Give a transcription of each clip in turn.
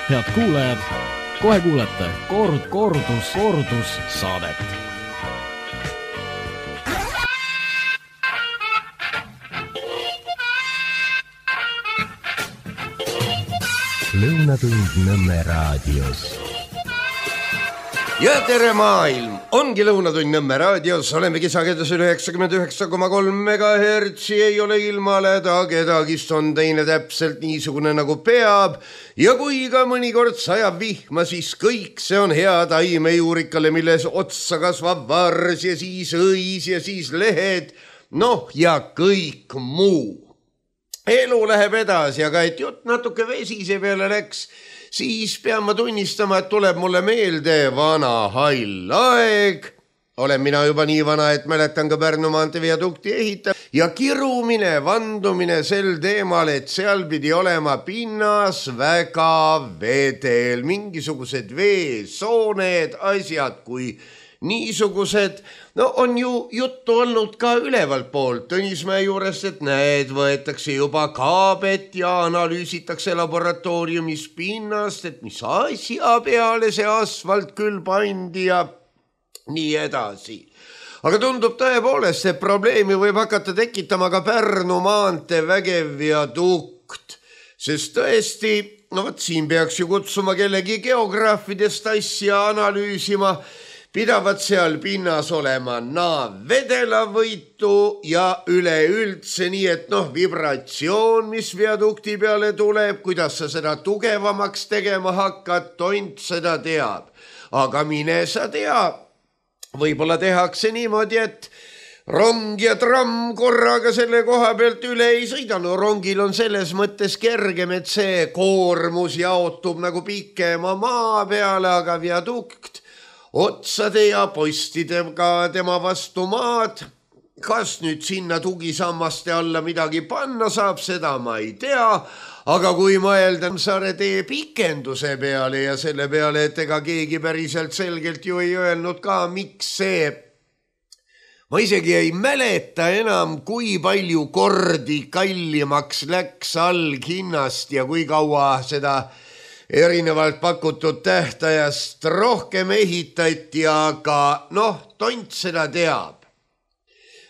Head kuulajad, kohe kuulete kordus saadet. Lõunatund Nõmme raadios. Ja tere maailm! Ongi Lõunatund Nõmme raadios, oleme kisagedasel 99,3 MHz, ei ole ilmaleda, kedagist on teine täpselt niisugune nagu peab. Ja kui ka mõnikord sajab vihma, siis kõik see on hea taimejuurikale, milles otsa kasvab vars ja siis õis ja siis lehed, noh ja kõik muu. Elu läheb edasi, aga et jutt natuke vesise peale läks, siis pean ma tunnistama, et tuleb mulle meelde vana hall aeg. Olen mina juba nii vana, et mäletan ka Pärnu maantee viadukti ehitab ja kirumine, vandumine sel teemal, et seal pidi olema pinnas väga vedel, mingisugused veesooned, asjad kui niisugused. No on ju juttu olnud ka ülevalt poolt Tõnismäe juurest, et näed, võetakse juba kaabet ja analüüsitakse laboratooriumis pinnast, et mis asja peale see asfalt küll pandi ja nii edasi. Aga tundub tõepoolest, et probleemi võib hakata tekitama ka Pärnu maantee vägev viadukt, sest tõesti, no võt siin peaks ju kutsuma kellegi geograafidest asja analüüsima, pidavad seal pinnas olema vedelavõitu ja üleüldse nii, et vibratsioon, mis viadukti peale tuleb, kuidas sa seda tugevamaks tegema hakkad, tont seda teab. Aga mine sa tea, võib-olla tehakse niimoodi, et rong ja tramm korraga selle koha pealt üle ei sõida. No rongil on selles mõttes kergem, et see koormus jaotub nagu pikema maa peale, aga viadukt otsade ja postidega tema vastu maad. Kas nüüd sinna tugisammaste alla midagi panna saab, seda ma ei tea, aga kui mõelda Saare tee pikenduse peale ja selle peale, et ega keegi päriselt selgelt ju ei öelnud ka, miks see, ma isegi ei mäleta enam, kui palju kordi kallimaks läks alghinnast ja kui kaua seda erinevalt pakutud tähtajast rohkem ehitati, aga tont seda teab.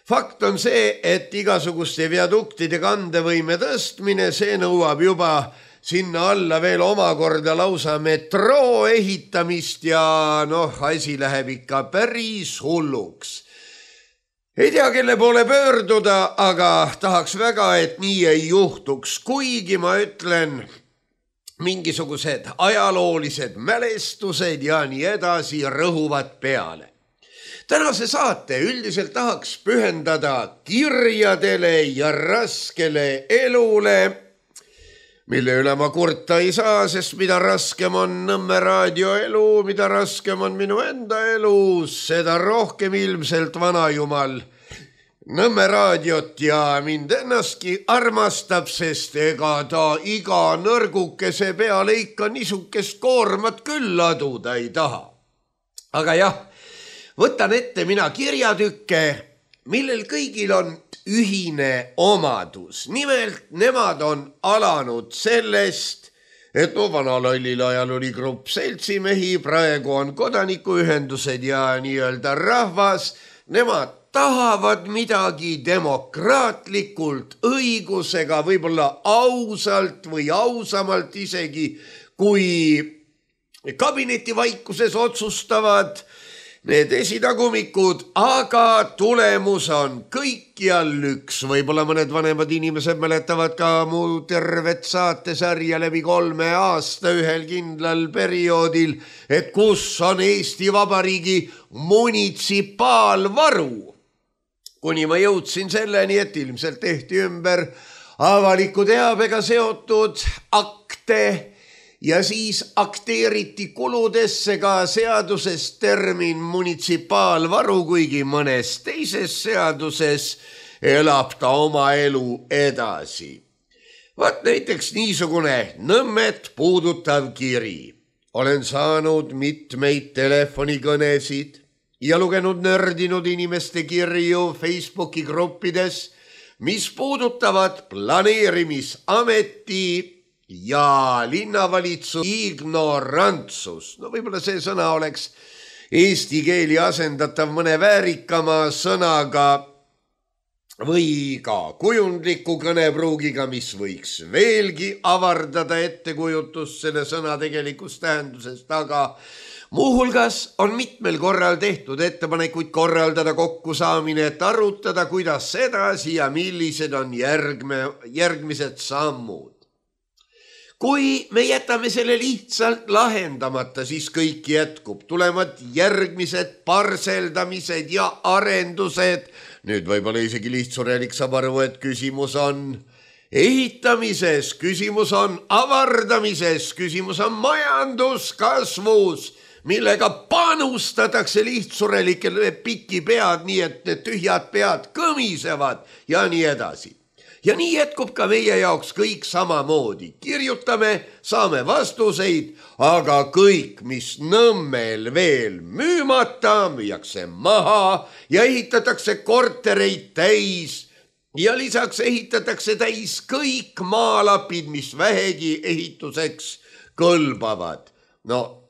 Fakt on see, et igasuguste viaduktide kandevõime tõstmine, see nõuab juba sinna alla veel omakorda lausa metroo ehitamist ja asi läheb ikka päris hulluks. Ei tea, kelle poole pöörduda, aga tahaks väga, et nii ei juhtuks, kuigi ma ütlen, mingisugused ajaloolised mälestused ja nii edasi rõhuvad peale. Tänase saate üldiselt tahaks pühendada kirjadele ja raskele elule, mille üle ma kurta ei saa, sest mida raskem on Nõmme raadio elu, mida raskem on minu enda elu, seda rohkem ilmselt vanajumal Nõmme raadiot ja mind ennastki armastab, sest ega ta iga nõrgukese peale ikka niisugust koormat küll laduda ei taha. Aga jah, võtan ette mina kirjatükke, millel kõigil on ühine omadus. Nimelt nemad on alanud sellest, et vanalollil ajal oli grupp seltsimehi, praegu on kodanikuühendused ja nii-öelda rahvas, nemad tahavad midagi demokraatlikult, õigusega, võib-olla ausalt või ausamalt isegi, kui kabinetivaikuses otsustavad need esitagumikud, aga tulemus on kõikjal üks. Võib-olla mõned vanemad inimesed mäletavad ka mu tervet saatesarja läbi 3 aasta ühel kindlal perioodil, et kus on Eesti Vabariigi munitsipaalvaru. Kuni ma jõudsin selleni, et ilmselt tehti ümber avaliku teabega seotud akte ja siis akteeriti kuludesse ka seaduses termin munitsipaalvaru, kuigi mõnes teises seaduses elab ta oma elu edasi. Vaat näiteks niisugune Nõmmet puudutav kiri. Olen saanud mitmeid telefonikõnesid ja lugenud nördinud inimeste kirju Facebooki gruppides, mis puudutavad planeerimisameti ja linnavalitsus ignorantsus. No võib-olla see sõna oleks eesti keeli asendatav mõne väärikama sõnaga või ka kujundliku kõnepruugiga, mis võiks veelgi avardada ettekujutust selle sõna tegelikust tähendusest, aga muuhulgas on mitmel korral tehtud ettepanekuid korraldada kokkusaamine, et arutada, kuidas edasi ja millised on järgmised sammud. Kui me jätame selle lihtsalt lahendamata, siis kõik jätkub. Tulevad järgmised parseldamised ja arendused. Nüüd võib-olla isegi lihtsurelik saab aru, et küsimus on ehitamises, küsimus on avardamises, küsimus on majanduskasvus, millega panustatakse lihtsurelikele piki pead, nii et need tühjad pead kõmisevad ja nii edasi. Ja nii jätkub ka meie jaoks kõik samamoodi. Kirjutame, saame vastuseid, aga kõik, mis Nõmmel veel müümata, müüakse maha ja ehitatakse kortereid täis ja lisaks ehitatakse täis kõik maalapid, mis vähegi ehituseks kõlbavad. No,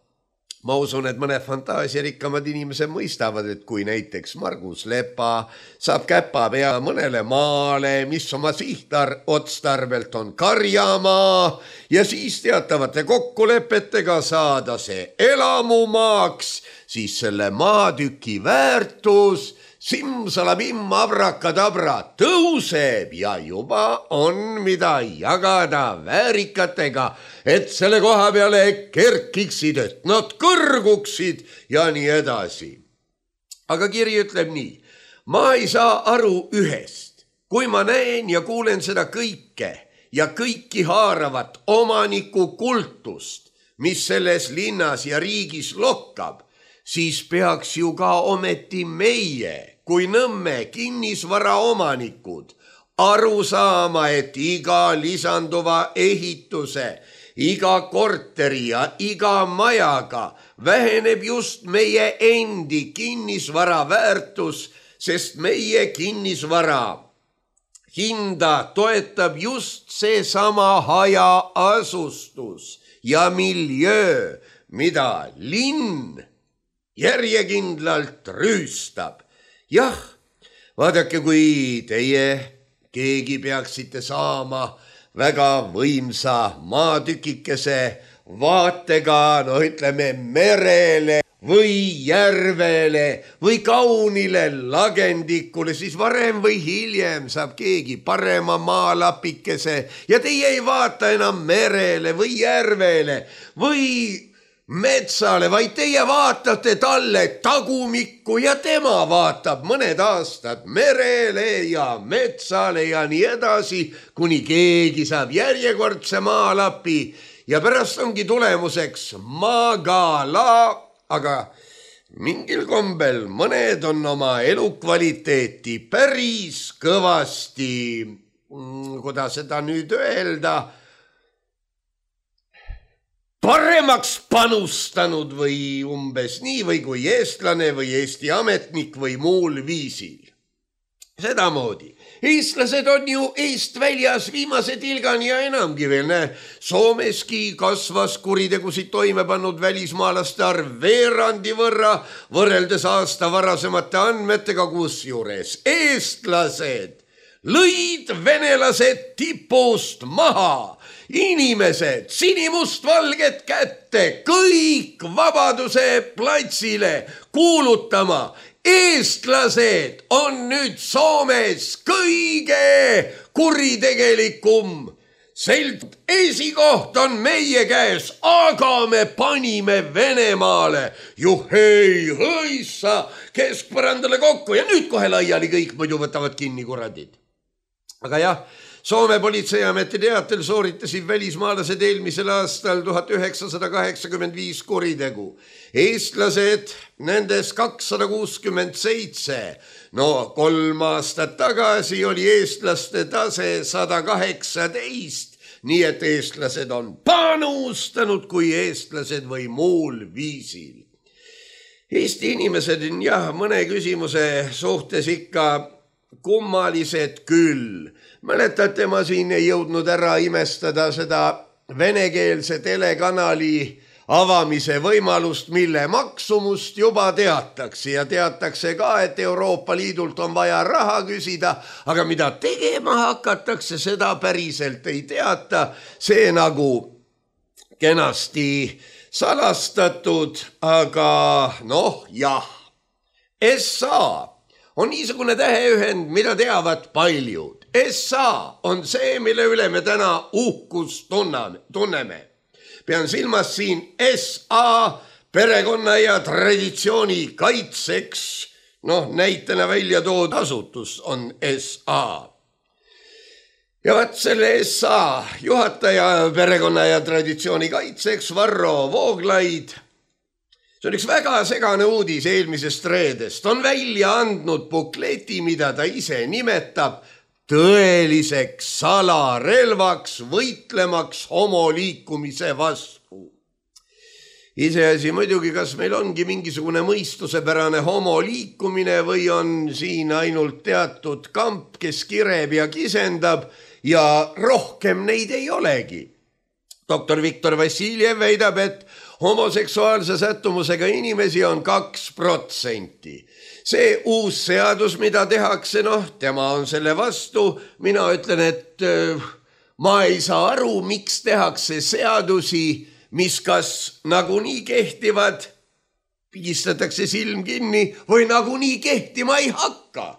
ma usun, et mõned fantaasiarikkamad inimesed mõistavad, et kui näiteks Margus Lepa saab käpa pea mõnele maale, mis oma sihtotstarbelt on karjamaa ja siis teatavate kokkulepetega saada see elamumaaks, siis selle maatüki väärtus simsalabim abrakadabra tõuseb ja juba on mida jagada väärikatega, et selle koha peale kerkiksid, et nad kõrguksid ja nii edasi. Aga kiri ütleb nii, ma ei saa aru ühest, kui ma näen ja kuulen seda kõike ja kõiki haaravat omaniku kultust, mis selles linnas ja riigis lokkab, siis peaks ju ka ometi meie, kui Nõmme kinnisvara omanikud, aru saama, et iga lisanduva ehituse, iga korteri ja iga majaga väheneb just meie endi kinnisvara väärtus, sest meie kinnisvara hinda toetab just seesama hajaasustus ja miljöö, mida linn järjekindlalt rüüstab. Jah, vaadake, kui teie keegi peaksite saama väga võimsa maatükikese vaatega, no ütleme merele või järvele või kaunile lagendikule, siis varem või hiljem saab keegi parema maalapikese ja teie ei vaata enam merele või järvele või metsale, vaid teie vaatate talle tagumikku ja tema vaatab mõned aastad merele ja metsale ja nii edasi, kuni keegi saab järjekordse maalapi ja pärast ongi tulemuseks maagala, aga mingil kombel mõned on oma elukvaliteeti päris kõvasti, kuidas seda nüüd öelda, paremaks panustanud või umbes nii või kui eestlane või Eesti ametnik või muul viisil. Sedamoodi. Eestlased on ju eest väljas viimase tilgani ja enamgi veel. Soomeski kasvas kuritegusid toime pannud välismaalaste arv veerandi võrra võrreldes aasta varasemate andmetega, kusjuures eestlased lõid venelased tipust maha. Inimesed sinimustvalget kätte, kõik Vabaduse platsile kuulutama. Eestlased on nüüd Soomes kõige kuritegelikum. Esikoht on meie käes, aga me panime Venemaale juhei hõissa keskpõrandale kokku ja nüüd kohe laiali kõik muidu võtavad kinni kuradid. Aga jah, Soome politseiameti teatel sooritasid välismaalased eelmisel aastal 1985 kuritegu. Eestlased nendes 267. No 3 aastat tagasi oli eestlaste tase 118, nii et eestlased on panustanud kui eestlased või muul viisil. Eesti inimesed on jah, mõne küsimuse suhtes ikka kummalised küll. Mäletate, ma siin ei jõudnud ära imestada seda venekeelse telekanali avamise võimalust, mille maksumust juba teatakse ja teatakse ka, et Euroopa Liidult on vaja raha küsida, aga mida tegema hakatakse, seda päriselt ei teata. See nagu kenasti salastatud, aga jah. SA on niisugune täheühend, mida teavad paljud. SA on see, mille üle me täna uhkust tunneme. Pean silmas siin SA perekonna ja traditsiooni kaitseks, näitena välja toodud asutus on SA. Ja vaat selle SA juhataja perekonna ja traditsiooni kaitseks Varro Vooglaid, see on üks väga segane uudis eelmisest reedest, on välja andnud bukleti, mida ta ise nimetab tõeliseks salarelvaks võitlemaks homoliikumise vastu. Iseasi muidugi, kas meil ongi mingisugune mõistusepärane homoliikumine või on siin ainult teatud kamp, kes kireb ja kisendab ja rohkem neid ei olegi. Doktor Viktor Vassiljev väidab, et homoseksuaalse sättumusega inimesi on 2%. See uus seadus, mida tehakse, tema on selle vastu. Mina ütlen, et ma ei saa aru, miks tehakse seadusi, mis kas nagunii kehtivad, pigistatakse silm kinni või nagunii kehtima ei hakka.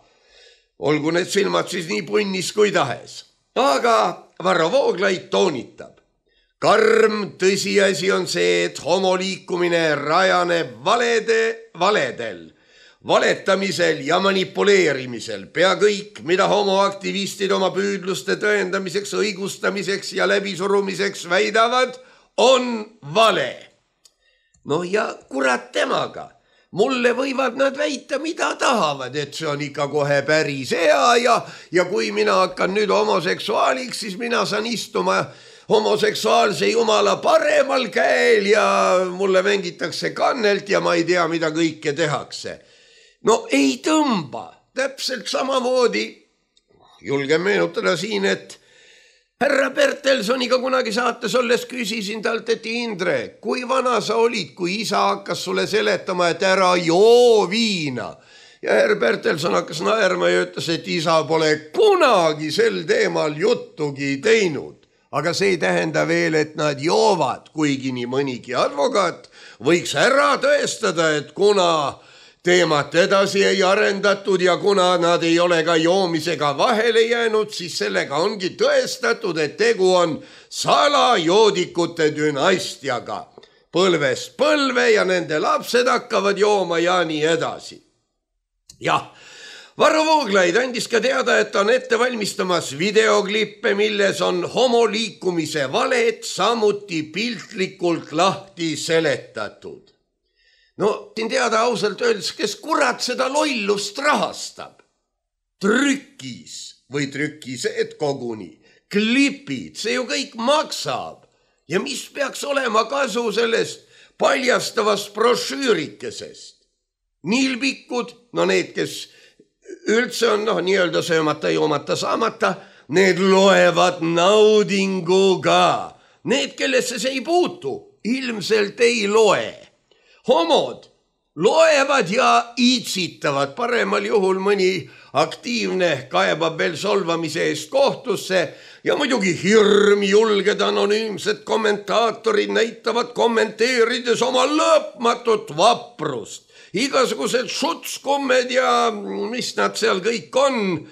Olgu need silmad siis nii punnis kui tahes. Aga Varro Vooglaid toonitab. Karm tõsiasi on see, et homoliikumine rajaneb valedel, valetamisel ja manipuleerimisel. Pea kõik, mida homoaktivistid oma püüdluste tõendamiseks, õigustamiseks ja läbisurumiseks väidavad, on vale. Ja kurat temaga. Mulle võivad nad väita, mida tahavad, et see on ikka kohe päris hea ja kui mina hakkan nüüd homoseksuaaliks, siis mina saan istuma homoseksuaalse jumala paremal käel ja mulle mängitakse kannelt ja ma ei tea, mida kõike tehakse. Ei tõmba. Täpselt samamoodi julgen meenutada siin, et härra Bertelsoniga kunagi saates olles küsisin talt, et Indre, kui vana sa olid, kui isa hakkas sulle seletama, et ära joo viina. Ja härra Bertelson hakkas naerma ja ütles, et isa pole kunagi sel teemal juttugi teinud. Aga see ei tähenda veel, et nad joovad, kuigi nii mõnigi advokaat võiks ära tõestada, et kuna teemat edasi ei arendatud ja kuna nad ei ole ka joomisega vahele jäänud, siis sellega ongi tõestatud, et tegu on salajoodikute dünastiaga. Põlvest põlve ja nende lapsed hakkavad jooma ja nii edasi. Jah. Varro Vooglaid andis ka teada, et on ette valmistamas videoklippe, milles on homoliikumise valed samuti piltlikult lahti seletatud. Siin teada ausalt öeldes, kes kurat seda lollust rahastab. Trükis või trükised koguni, klipid, see ju kõik maksab. Ja mis peaks olema kasu sellest paljastavast brošüürikesest? Nilbikud, need, kes üldse on nii-öelda söömata, joomata, saamata, need loevad naudinguga. Need, kellesse see ei puutu, ilmselt ei loe. Homod loevad ja iitsitavad. Paremal juhul mõni aktiivne kaebab veel solvamise eest kohtusse ja muidugi hirm julged anonüümsed kommentaatorid näitavad kommenteerides oma lõpmatut vaprust. Igasugused šutskummed ja mis nad seal kõik on,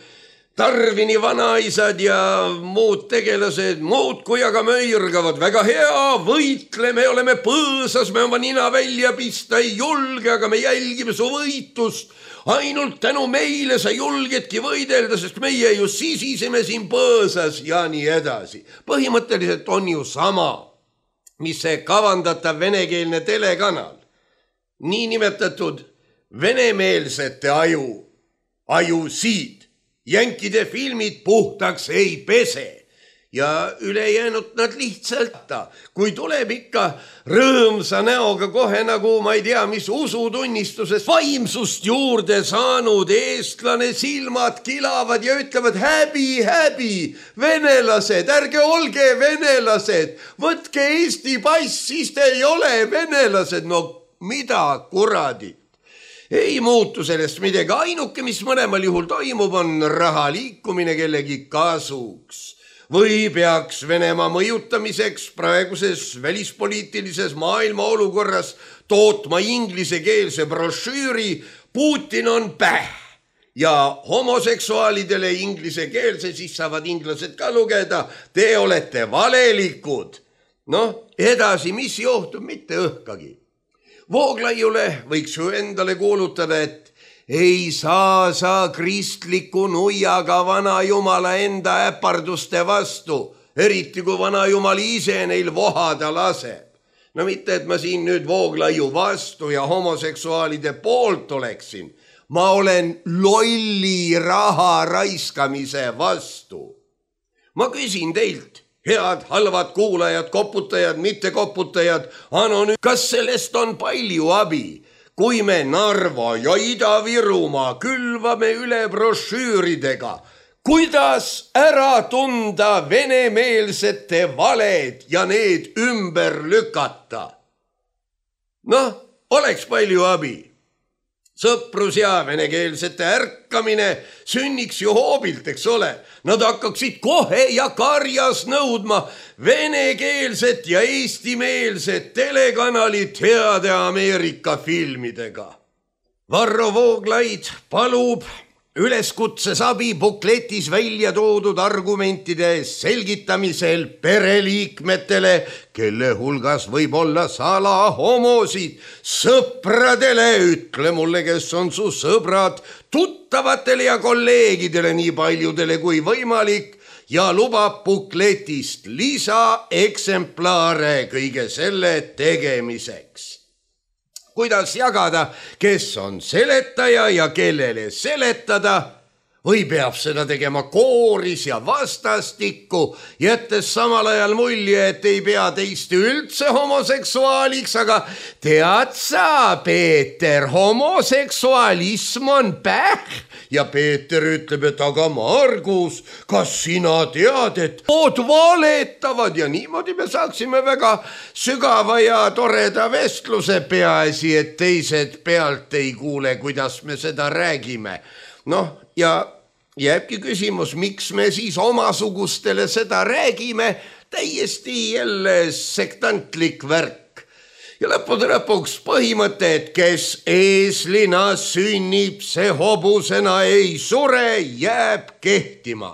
Tarvini vanaisad ja muud tegelased muudkui aga möirgavad. Väga hea, võitleme, oleme põõsas, me oma nina välja pista ei julge, aga me jälgime su võitust. Ainult tänu meile sa julgedki võidelda, sest meie ju sisisime siin põõsas ja nii edasi. Põhimõtteliselt on ju sama, mis see kavandatav venekeelne telekanal. Niinimetatud venemeelsete ajusid. Jänkide filmid puhtaks ei pese ja ülejäänud nad lihtsalt, kui tuleb ikka rõõmsa näoga kohe nagu ma ei tea, mis usutunnistusest vaimsust juurde saanud eestlane, silmad kilavad ja ütlevad häbi, häbi, venelased, ärge olge venelased, võtke Eesti pass, siis te ei ole venelased. No mida kuradi? Ei muutu sellest midagi, ainuke, mis mõlemal juhul toimub, on raha liikumine kellegi kasuks. Või peaks Venemaa mõjutamiseks praeguses välispoliitilises maailma olukorras tootma inglisekeelse brošüüri Putin on päh ja homoseksuaalidele inglisekeelse, siis saavad inglased ka lugeda, te olete valelikud. Edasi, mis juhtub, mitte õhkagi. Vooglaiule võiks ju endale kuulutada, et ei saa sa kristliku nuiaga vana jumala enda äparduste vastu, eriti kui vana jumal ise neil vohada laseb. No mitte, et ma siin nüüd Vooglaiu vastu ja homoseksuaalide poolt oleksin. Ma olen lolli raha raiskamise vastu. Ma küsin teilt, head, halvad kuulajad, koputajad, mitte koputajad, kas sellest on palju abi? Kui me Narva ja Ida-Virumaa külvame üle brošüüridega, kuidas ära tunda venemeelsete valed ja need ümber lükata? Oleks palju abi. Sõprus ja venekeelsete ärkamine sünniks ju hoobilt, eks ole. Nad hakkaksid kohe ja karjas nõudma venekeelset ja eestimeelset telekanalit heade Ameerika filmidega. Varro Vooglaid palub üleskutses abi bukletis välja toodud argumentide selgitamisel pereliikmetele, kelle hulgas võib olla salahomosid, sõpradele, ütle mulle, kes on su sõbrad, tuttavatele ja kolleegidele nii paljudele kui võimalik ja lubab bukletist lisaeksemplaare kõige selle tegemiseks. Kuidas jagada, kes on seletaja ja kellele seletada, või peab seda tegema kooris ja vastastikku, jättes samal ajal mulje, et ei pea teist üldse homoseksuaaliks, aga tead sa, Peeter, homoseksualism on päh. Ja Peeter ütleb, et aga Margus, kas sina tead, et ood valetavad ja niimoodi me saaksime väga sügava ja toreda vestluse, peaasi, et teised pealt ei kuule, kuidas me seda räägime. Ja jääbki küsimus, miks me siis omasugustele seda räägime, täiesti jälle sektantlik värk. Ja lõppude lõpuks põhimõte, et kes eeslina sünnib, see hobusena ei sure, jääb kehtima.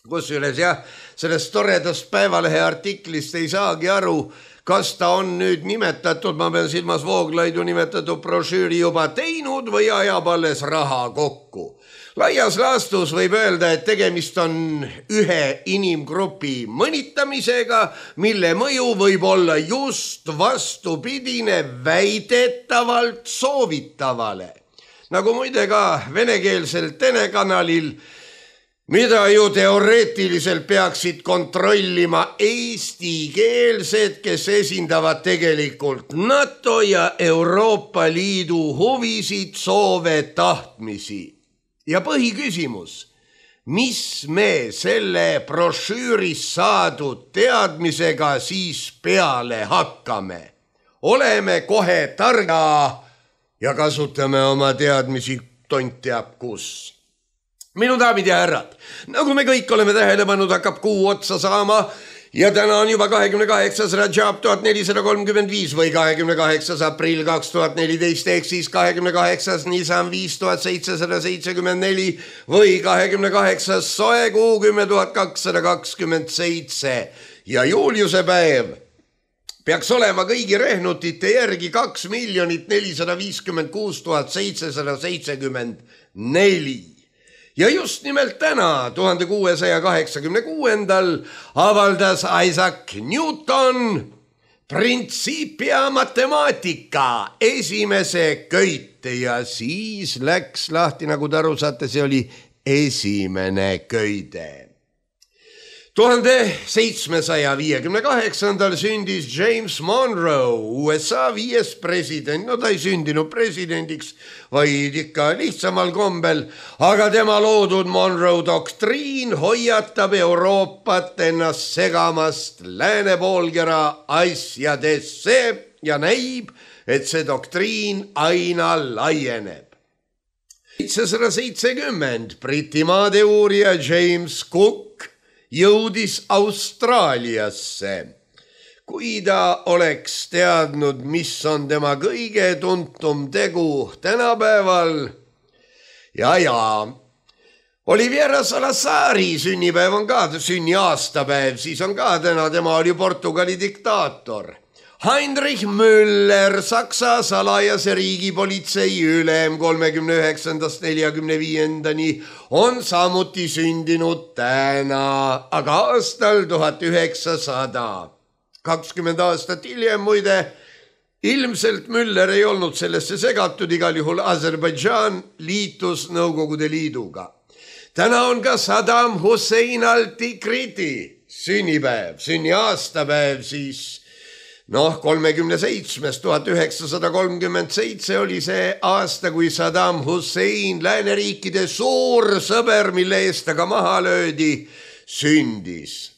Kusjuures jah, sellest toredast Päevalehe artiklist ei saagi aru, kas ta on nüüd nimetatud, ma pean silmas Vooglaidu nimetatud brošüüri juba teinud või ajab alles raha kokku. Laias laastus võib öelda, et tegemist on ühe inimgrupi mõnitamisega, mille mõju võib olla just vastupidine väidetavalt soovitavale. Nagu muide ka venekeelsel telekanalil, mida ju teoreetiliselt peaksid kontrollima eestikeelsed, kes esindavad tegelikult NATO ja Euroopa Liidu huvisid, soove, tahtmisi. Ja põhiküsimus, mis me selle brošüüris saadud teadmisega siis peale hakkame? Oleme kohe targa ja kasutame oma teadmisi tont teab kus. Minu daamid ja härrad, nagu me kõik oleme tähele pannud, hakkab kuu otsa saama ja täna on juba 28. Rajab 1435 või 28. aprill 2014 ehk siis 28. Nisan 5774 või 28. soekuu 10227 ja Juliuse päev peaks olema kõigi rehnutite järgi 2 456 774. Ja just nimelt täna, 1686. avaldas Isaac Newton printsiipia matemaatika esimese köite ja siis läks lahti, nagu te aru saate, see oli esimene köide. 1758 sündis James Monroe, USA 5. president. No ta ei sündinud presidendiks, vaid ikka lihtsamal kombel, aga tema loodud Monroe doktriin hoiatab Euroopat ennast segamast lääne poolkera asjadesse ja näib, et see doktriin aina laieneb. 770 Britimaade uurija James Cook jõudis Austraaliasse. Kui ta oleks teadnud, mis on tema kõige tuntum tegu tänapäeval, Oliviera Salazari sünnipäev on ka sünniaastapäev, siis on ka täna, tema oli Portugali diktaator. Heinrich Müller, Saksa salajase riigipolitsei ülem 39–45 on samuti sündinud täna, aga aastal 1900. 20 aastat hiljem muide, ilmselt Müller ei olnud sellesse segatud, igal juhul Aserbaidžaan liitus Nõukogude Liiduga. Täna on ka Saddam Hussein al-Tikriti sünnipäev, sünniaastapäev siis 1937 oli see aasta, kui Saddam Hussein, lääneriikide suur sõber, mille eest aga maha löödi, sündis.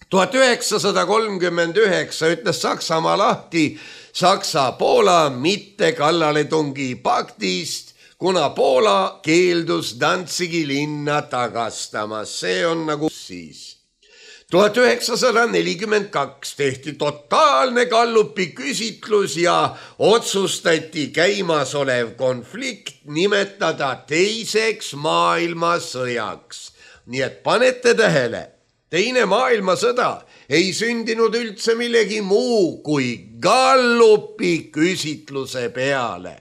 1939 ütles Saksamaa lahti Saksa-Poola mitte kallaletungi paktist, kuna Poola keeldus Danzigi linna tagastamas. See on nagu siis. 1942 tehti totaalne Gallupi küsitlus ja otsustati käimasolev konflikt nimetada teiseks maailmasõjaks. Nii et panete tähele, teine maailmasõda ei sündinud üldse millegi muu kui Gallupi küsitluse peale.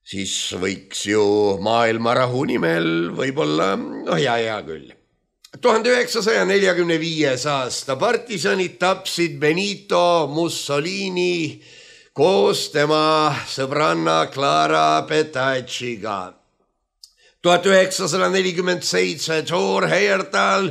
Siis võiks ju maailmarahu nimel võib-olla, hea küll. 1945 aasta partisanid tapsid Benito Mussolini koos tema sõbranna Clara Petacciga. 1947 Thor Heyerdahl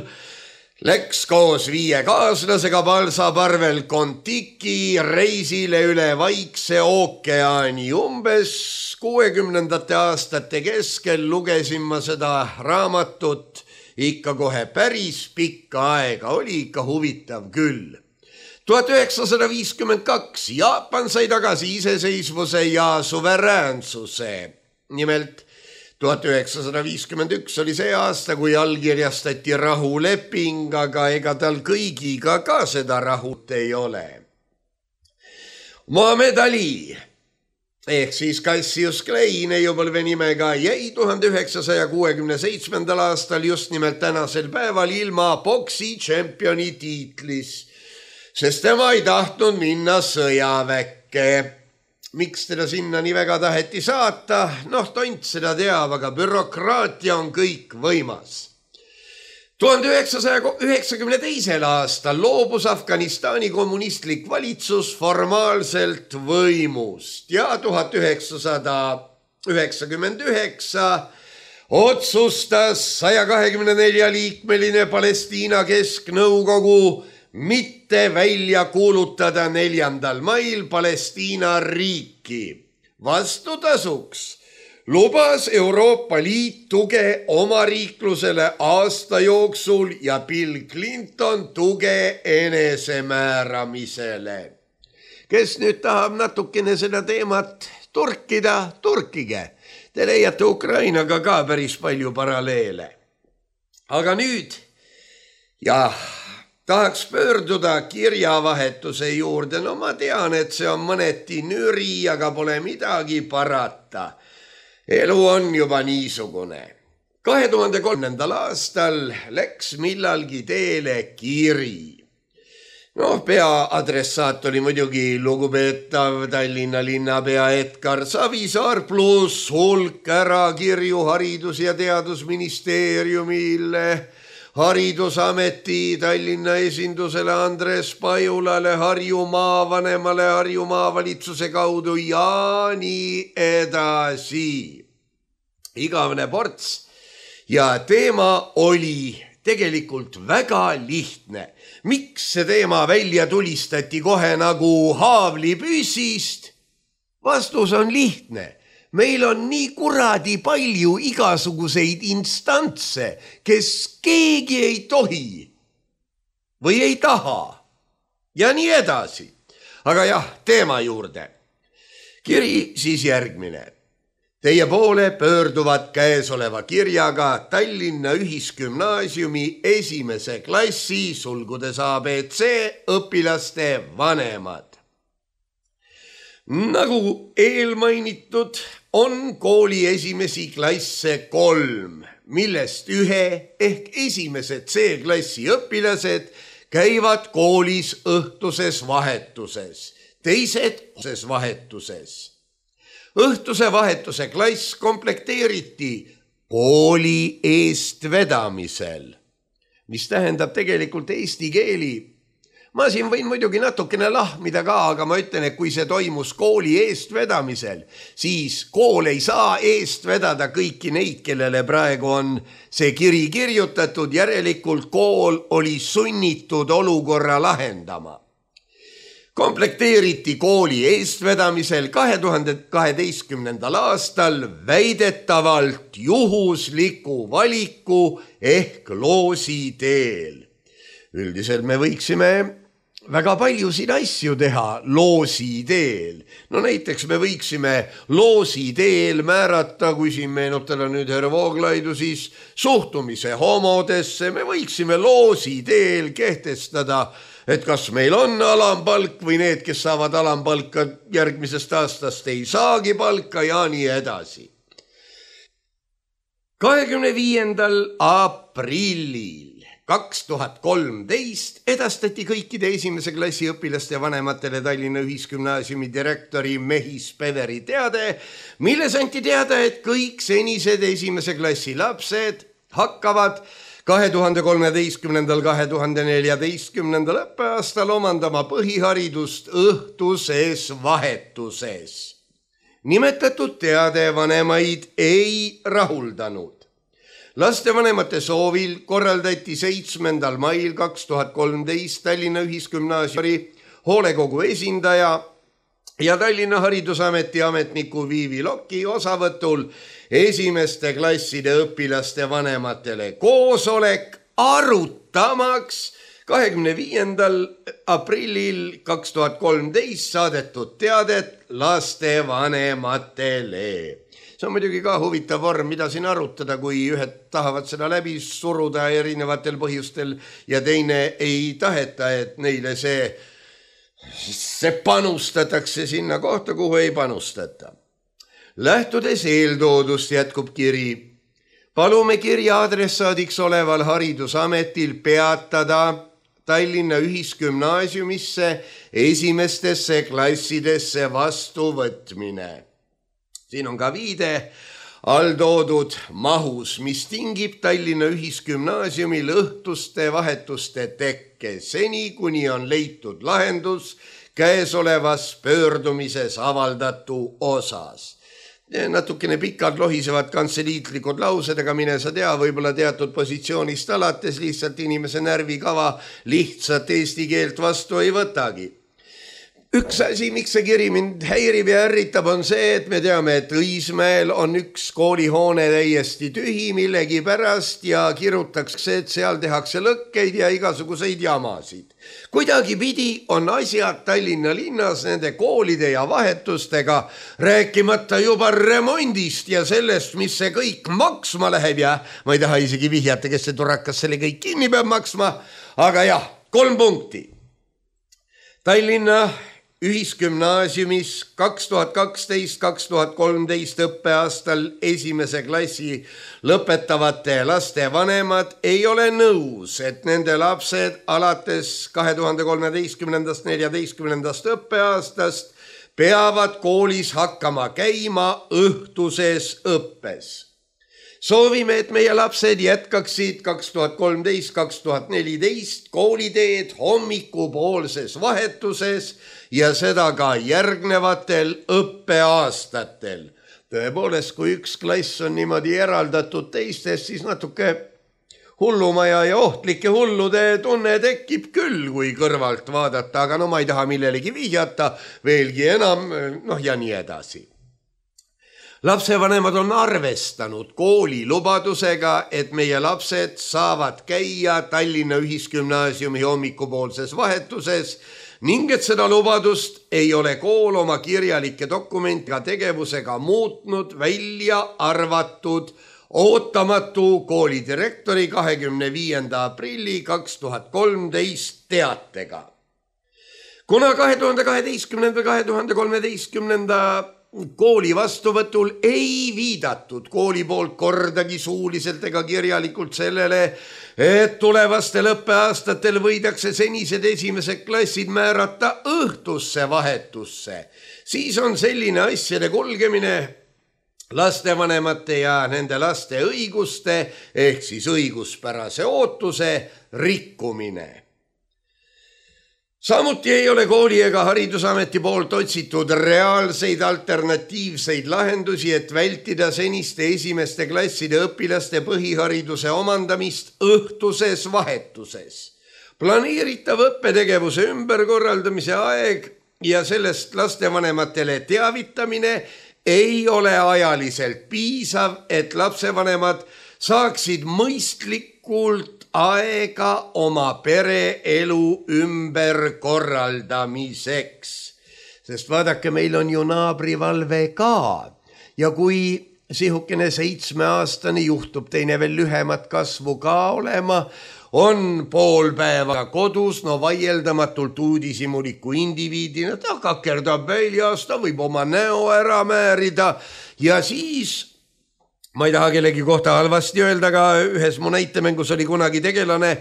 läks koos 5 kaaslasega Balsaparvel Kontiki reisile üle Vaikse ookeani. Umbes 60. aastate keskel lugesin ma seda raamatut ikka kohe päris pikka aega, oli ikka huvitav küll. 1952 Jaapan sai tagasi iseseisvuse ja suveräänsuse. Nimelt 1951 oli see aasta, kui allkirjastati rahuleping, aga ega tal kõigiga ka seda rahut ei ole. Muhamed Ali ehk siis Cassius Clay neiupõlve nimega jäi 1967. aastal just nimelt tänasel päeval ilma boksi tšempioni tiitlis, sest tema ei tahtnud minna sõjaväkke. Miks teda sinna nii väga taheti saata? Tont seda teab, aga bürokraatia on kõik võimas. 1992. aastal loobus Afganistani kommunistlik valitsus formaalselt võimust ja 1999 otsustas 124-liikmeline Palestiina kesknõukogu mitte välja kuulutada 4. mail Palestiina riiki. Vastutasuks lubas Euroopa Liit tuge omariiklusele aasta jooksul ja Bill Clinton tuge enesemääramisele. Kes nüüd tahab natukene seda teemat turkida, turkige. Te leiate Ukrainaga ka päris palju paralleele. Aga nüüd, tahaks pöörduda kirjavahetuse juurde. Ma tean, et see on mõneti nüri, aga pole midagi parata. Elu on juba niisugune. 2003. aastal läks millalgi teele kiri. Peaadressaat oli muidugi lugupeetav Tallinna linnapea Edgar Savisaar pluss hulk ärakirju Haridus- ja Teadusministeeriumile, Haridusameti Tallinna esindusele Andres Pajulale, Harju maavanemale Harju maavalitsuse kaudu ja nii edasi. Igavene ports ja teema oli tegelikult väga lihtne. Miks see teema välja tulistati kohe nagu haavlipüssist? Vastus on lihtne. Meil on nii kuradi palju igasuguseid instantse, kes keegi ei tohi või ei taha ja nii edasi. Aga jah, teema juurde. Kiri siis järgmine. Teie poole pöörduvad käesoleva kirjaga Tallinna Ühisgümnaasiumi 1. klassi sulgudes ABC õpilaste vanemad. Nagu eelmainitud on kooli esimesi klasse 3, millest ühe ehk esimese C-klassi õpilased käivad koolis õhtuses vahetuses, teised vahetuses. Õhtuse vahetuse klass komplekteeriti kooli eestvedamisel, mis tähendab tegelikult eesti keeli. Ma siin võin muidugi natukene lahmida ka, aga ma ütlen, et kui see toimus kooli eestvedamisel, siis kool ei saa eest vedada kõiki neid, kellele praegu on see kiri kirjutatud, järelikult kool oli sunnitud olukorra lahendama. Komplekteeriti kooli eestvedamisel 2012. aastal väidetavalt juhusliku valiku ehk loosi teel. Üldiselt me võiksime väga palju siin asju teha loosi teel. No näiteks me võiksime loosi teel määrata, kui siin meenutada nüüd härra Vooglaidu, siis suhtumise homodesse. Me võiksime loosi teel kehtestada, et kas meil on alampalk või need, kes saavad alampalka järgmisest aastast ei saagi palka ja nii edasi. 25. aprillil 2013 edastati kõikide esimese klassi õpilaste vanematele Tallinna Ühisgümnaasiumi direktori Mehis Peveri teade, milles anti teada, et kõik senised esimese klassi lapsed hakkavad 2013-2014 õppeaastal omandama põhiharidust õhtuses vahetuses. Nimetatud teade vanemaid ei rahuldanud. Lastevanemate soovil korraldati 7. mail 2013 Tallinna Ühisgümnaasiumi hoolekogu esindaja ja Tallinna Haridusameti ametniku Viivi Lokki osavõtul esimeste klasside õpilaste vanematele koosolek arutamaks 25. aprillil 2013 saadetud teadet lastevanematele. See on muidugi ka huvitav vorm, mida siin arutada, kui ühed tahavad seda läbi suruda erinevatel põhjustel ja teine ei taheta, et neile see panustatakse sinna kohta, kuhu ei panustata. Lähtudes eeltoodust jätkub kiri. Palume kirja adressaadiks oleval Haridusametil peatada Tallinna Ühisgümnaasiumisse esimestesse klassidesse vastuvõtmine. Siin on ka viide alltoodud mahus, mis tingib Tallinna Ühisgümnaasiumil õhtuste vahetuste tekke seni, kuni on leitud lahendus käesolevas pöördumises avaldatu osas. Natukene pikalt lohisevad kantseliitlikud laused, aga mine sa tea, võib-olla teatud positsioonist alates lihtsalt inimese närvikava lihtsalt eesti keelt vastu ei võtagi. Üks asi, miks see kiri mind häirib ja ärritab, on see, et me teame, et Õismäel on üks koolihoone täiesti tühi millegi pärast ja kirutakse, et seal tehakse lõkkeid ja igasuguseid jamasid. Kuidagi pidi on asjad Tallinna linnas nende koolide ja vahetustega, rääkimata juba remondist ja sellest, mis see kõik maksma läheb ja ma ei taha isegi vihjata, kes see turakas selle kõik kinni peab maksma, aga jah, 3 punkti. Tallinna Ühisgümnaasiumis 2012-2013 õppeaastal esimese klassi lõpetavate laste vanemad ei ole nõus, et nende lapsed alates 2013-2014 õppeaastast peavad koolis hakkama käima õhtuses õppes. Soovime, et meie lapsed jätkaksid 2013-2014 kooliteed hommikupoolses vahetuses ja seda ka järgnevatel õppeaastatel. Tõepoolest, kui üks klass on niimoodi eraldatud teistest, siis natuke hullumaja ja ohtlike hullude tunne tekib küll, kui kõrvalt vaadata, aga no ma ei taha millelegi vihjata, veelgi enam, ja nii edasi. Lapsevanemad on arvestanud kooli lubadusega, et meie lapsed saavad käia Tallinna Ühisgümnaasiumi hommikupoolses vahetuses ning et seda lubadust ei ole kool oma kirjalike dokumentiga tegevusega muutnud, välja arvatud ootamatu koolidirektori 25. aprilli 2013 teatega. Kuna 2012-2013 kooli vastuvõtul ei viidatud kooli poolt kordagi suuliselt ega kirjalikult sellele, et tulevastel õppeaastatel võidakse senised esimesed klassid määrata õhtusse vahetusse, siis on selline asjade kulgemine lastevanemate ja nende laste õiguste ehk siis õiguspärase ootuse rikkumine. Samuti ei ole kooli ega Haridusameti poolt otsitud reaalseid alternatiivseid lahendusi, et vältida seniste esimeste klasside õpilaste põhihariduse omandamist õhtuses vahetuses. Planeeritav õppetegevuse ümberkorraldamise aeg ja sellest lastevanematele teavitamine ei ole ajaliselt piisav, et lapsevanemad saaksid mõistlikult aega oma pereelu ümberkorraldamiseks. Sest vaadake, meil on ju naabrivalve ka ja kui sihukene 7-aastane juhtub teine veel lühemat kasvu ka olema, on pool päeva kodus, no vaieldamatult uudishimuliku indiviidina, ta kakerdab väljas, ta võib oma näo ära määrida ja siis ma ei taha kellegi kohta halvasti öelda, aga ühes mu näitemängus oli kunagi tegelane,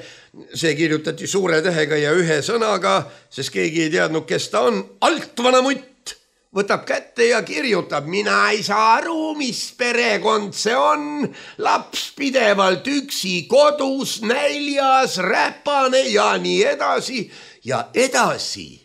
see kirjutati suure tähega ja ühe sõnaga, sest keegi ei teadnud, kes ta on. Altvana mutt võtab kätte ja kirjutab, mina ei saa aru, mis perekond see on. Laps pidevalt üksi kodus, näljas, räpane ja nii edasi ja edasi.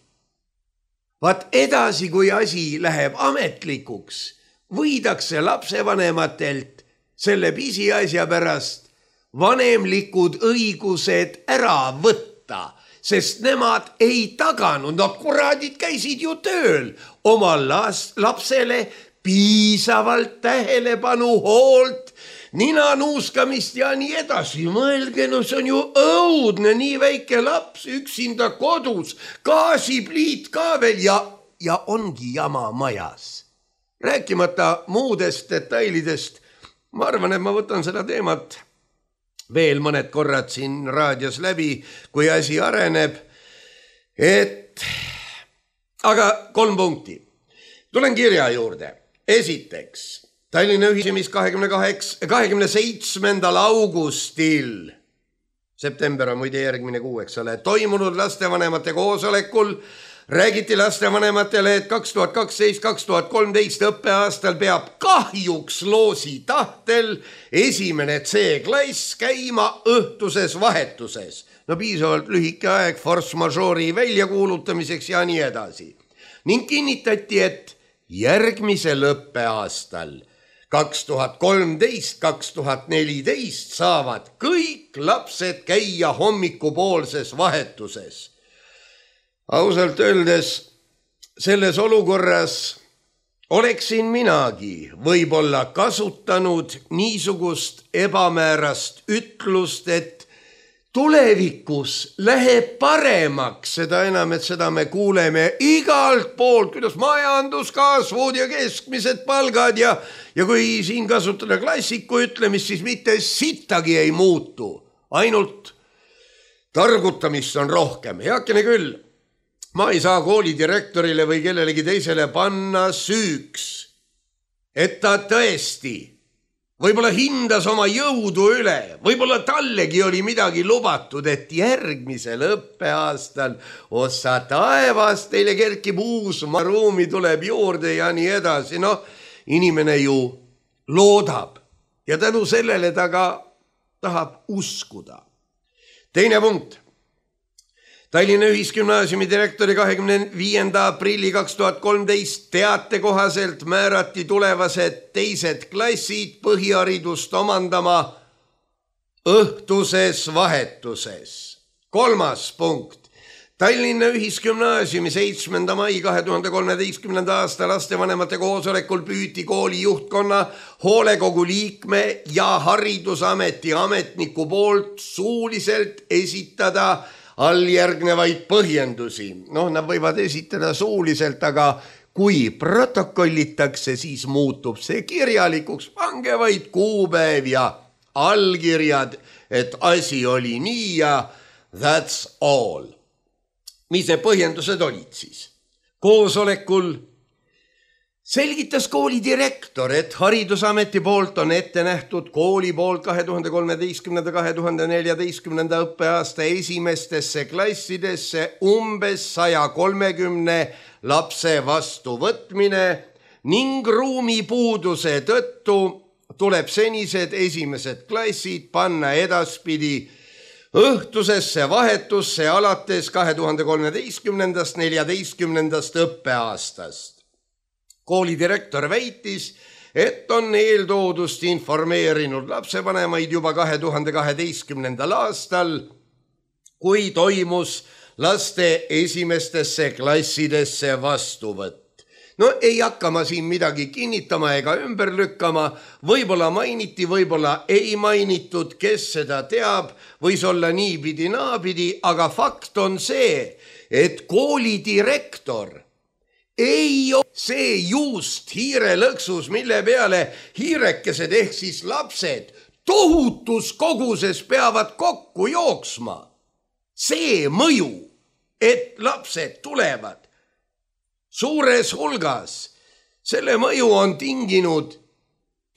Vaat edasi, kui asi läheb ametlikuks, võidakse lapsevanematelt selle pisiasja pärast vanemlikud õigused ära võtta, sest nemad ei taganud, no kuradid käisid ju tööl oma lapsele piisavalt tähelepanu, hoolt, nina nuuskamist ja nii edasi. Mõelge, no see on ju õudne, nii väike laps üksinda kodus, gaasipliit ka veel ja ongi jama majas. Rääkimata muudest detailidest, ma arvan, et ma võtan seda teemat veel mõned korrad siin raadios läbi, kui asi areneb. Aga 3 punkti. Tulen kirja juurde. Esiteks, Tallinna Ühisgümnaasiumis 27. augustil, september on muide järgmine kuu, eks ole, toimunud lastevanemate koosolekul räägiti lastevanematele, et 2012-2013 õppeaastal peab kahjuks loosi tahtel esimene C-klass käima õhtuses vahetuses. No piisavalt lühike aeg force majeure'i väljakuulutamiseks ja nii edasi. Ning kinnitati, et järgmisel õppeaastal 2013-2014 saavad kõik lapsed käia hommikupoolses vahetuses. Ausalt öeldes selles olukorras oleksin minagi võib-olla kasutanud niisugust ebamäärast ütlust, et tulevikus läheb paremaks, seda enam, et seda me kuuleme igalt poolt, kuidas majanduskasvud ja keskmised palgad ja kui siin kasutada klassiku ütlemist, siis mitte sittagi ei muutu, ainult targutamist on rohkem. Heakene küll. Ma ei saa koolidirektorile või kellelegi teisele panna süüks, et ta tõesti võib-olla hindas oma jõudu üle, võib-olla tallegi oli midagi lubatud, et järgmisel õppeaastal ossa taevas teile kerkib uus ruumi, tuleb juurde ja nii edasi. No, inimene ju loodab ja tänu sellele ta ka tahab uskuda. Teine punkt. Tallinna Ühisgümnaasiumi direktori 25. aprilli 2013 teate kohaselt määrati tulevased teised klassid põhiharidust omandama õhtuses vahetuses. 3. punkt. Tallinna Ühisgümnaasiumi 7. mai 2013. aasta lastevanemate koosolekul püüti kooli juhtkonna, hoolekogu liikme ja Haridusameti ametniku poolt suuliselt esitada alljärgnevaid põhjendusi. Nad võivad esitada suuliselt, aga kui protokollitakse, siis muutub see kirjalikuks. Pange vaid kuupäev ja allkirjad, et asi oli nii ja that's all. Mis need põhjendused olid siis? Koosolekul selgitas kooli direktor, et Haridusameti poolt on ette nähtud kooli poolt 2013-2014 õppeaasta esimestesse klassidesse umbes 130 lapse vastuvõtmine ning ruumipuuduse tõttu tuleb senised esimesed klassid panna edaspidi õhtusesse vahetusse alates 2013-14 õppeaastast. Kooli direktor väitis, et on eeltoodust informeerinud lapsevanemaid juba 2012. aastal, kui toimus laste esimestesse klassidesse vastuvõtt. Ei hakka ma siin midagi kinnitama ega ümber lükkama, võib-olla mainiti, võib-olla ei mainitud, kes seda teab, võis olla niipidi, naapidi, aga fakt on see, et kooli direktor ei ole see juust hiirelõksus, mille peale hiirekesed ehk siis lapsed tohutus koguses peavad kokku jooksma. See mõju, et lapsed tulevad suures hulgas, selle mõju on tinginud